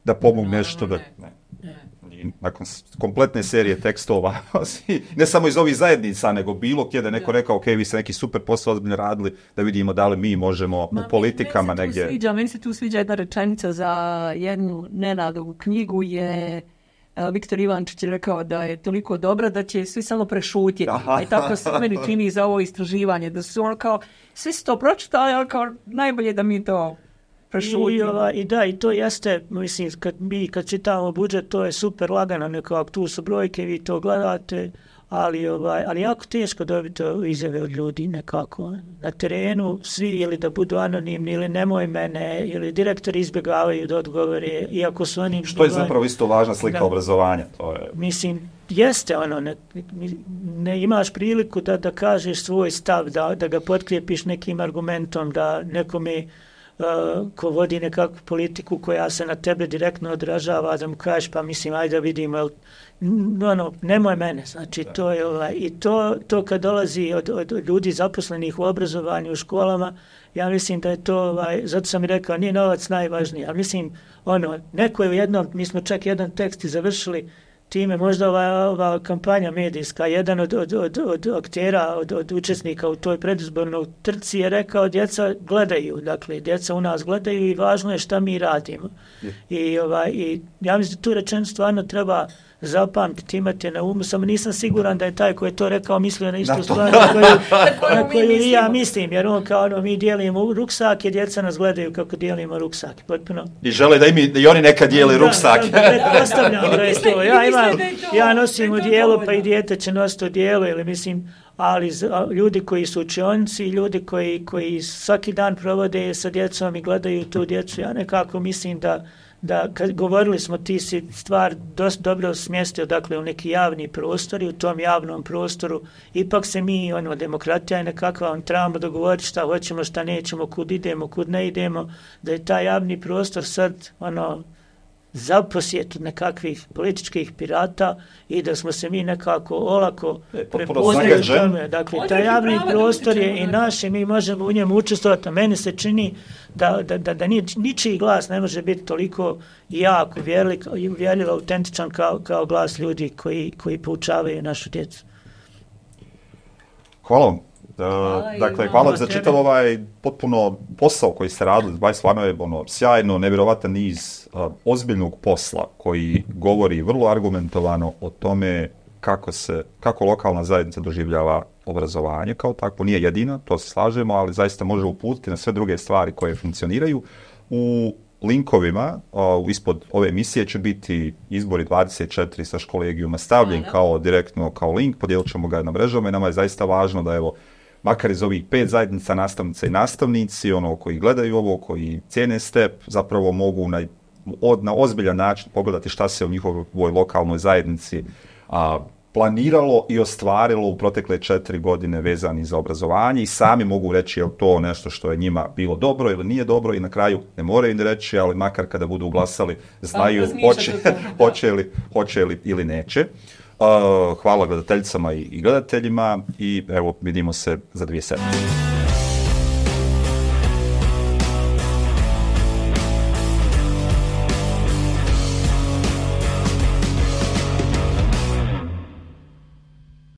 da pomogne nešto. Da, ne. Nakon kompletne serije tekstova, ne samo iz ovih zajednica, nego bilo gdje da neko rekao, ok, vi ste neki super posao ozbiljno radili, da vidimo da li mi možemo Ma, u politikama meni negdje. Sviđa, meni se tu sviđa jedna rečenica za jednu Nenadovu knjigu je Viktor Ivančić je rekao da je toliko dobra da će svi samo prešutjeti. Aha. I tako se meni čini za ovo istraživanje, da su ono kao, svi su to pročitali, ali kao najbolje da mi to prešutimo. I, ova, I da, i to jeste, mislim, kad mi kad čitamo budžet, to je super lagano, nekako tu su brojke, vi to gledate, ali, ovaj, ali jako teško dobiti izjave od ljudi nekako. Na terenu svi ili da budu anonimni ili nemoj mene, ili direktori izbjegavaju da odgovore, iako su oni... Što je zapravo isto važna slika da. obrazovanja. To je... Mislim, jeste ono, ne, ne imaš priliku da, da kažeš svoj stav, da, da ga potkrijepiš nekim argumentom, da nekome uh, ko vodi nekakvu politiku koja se na tebe direktno odražava, da mu kažeš pa mislim, ajde da vidimo, jel, ono, nemoj mene, znači da. to je ovaj, i to, to kad dolazi od, od, od ljudi zaposlenih u obrazovanju u školama, ja mislim da je to, ovaj, zato sam i rekao, nije novac najvažniji, ali mislim, ono, neko je u jednom, mi smo čak jedan tekst i završili time, možda ova, ova kampanja medijska, jedan od, od, od, od aktera, od, od učesnika u toj predizbornoj trci je rekao, djeca gledaju, dakle, djeca u nas gledaju i važno je šta mi radimo. Je. I, ovaj, i ja mislim da tu rečenicu stvarno treba zapamtiti, imate na umu, samo nisam siguran da je taj koji je to rekao mislio na istu stvar na koju, na koju i ja mislim, jer on kao ono, mi dijelimo ruksake, djeca nas gledaju kako dijelimo ruksake, potpuno. I žele da, im, da i oni nekad dijeli ruksake. Da, da, da, ostavljam da je to, ja imam, ja nosim u dijelu, pa i dijete će nositi u dijelu, ili mislim, ali ljudi koji su učionici, ljudi koji, koji svaki dan provode sa djecom i gledaju tu djecu, ja nekako mislim da da kad govorili smo ti si stvar dosta dobro smjestio dakle u neki javni prostor i u tom javnom prostoru ipak se mi, ono, demokratija je nekakva, on trebamo dogovoriti šta hoćemo, šta nećemo, kud idemo, kud ne idemo, da je taj javni prostor sad, ono, za posjetu nekakvih političkih pirata i da smo se mi nekako olako prepoznali tome. Dakle, taj javni prostor je i naš i mi možemo u njemu učestvovati. A meni se čini da, da, da, da ničiji glas ne može biti toliko jak, uvjerljiv, autentičan kao, kao glas ljudi koji, koji poučavaju našu djecu. Hvala vam. Uh, dakle, hvala za čitav ovaj potpuno posao koji ste radili, dvadeset stvarno je ono, sjajno, nevjerovatan niz uh, ozbiljnog posla koji govori vrlo argumentovano o tome kako se, kako lokalna zajednica doživljava obrazovanje kao takvo, nije jedina, to se slažemo, ali zaista može uputiti na sve druge stvari koje funkcioniraju. U linkovima uh, ispod ove emisije će biti izbori dvadeset četiri sa školegijuma stavljen kao direktno kao link, podijelit ćemo ga na mrežama i nama je zaista važno da evo makar iz ovih pet zajednica nastavnica i nastavnici, ono koji gledaju ovo, koji cijene step, zapravo mogu na, od, na ozbiljan način pogledati šta se u njihovoj lokalnoj zajednici a, planiralo i ostvarilo u protekle četiri godine vezani za obrazovanje i sami mogu reći je li to nešto što je njima bilo dobro ili nije dobro i na kraju ne moraju ni reći, ali makar kada budu glasali znaju hoće, hoće, li, hoće li ili neće. Uh, hvala gledateljicama i, i gledateljima i evo vidimo se za dvije sedmice.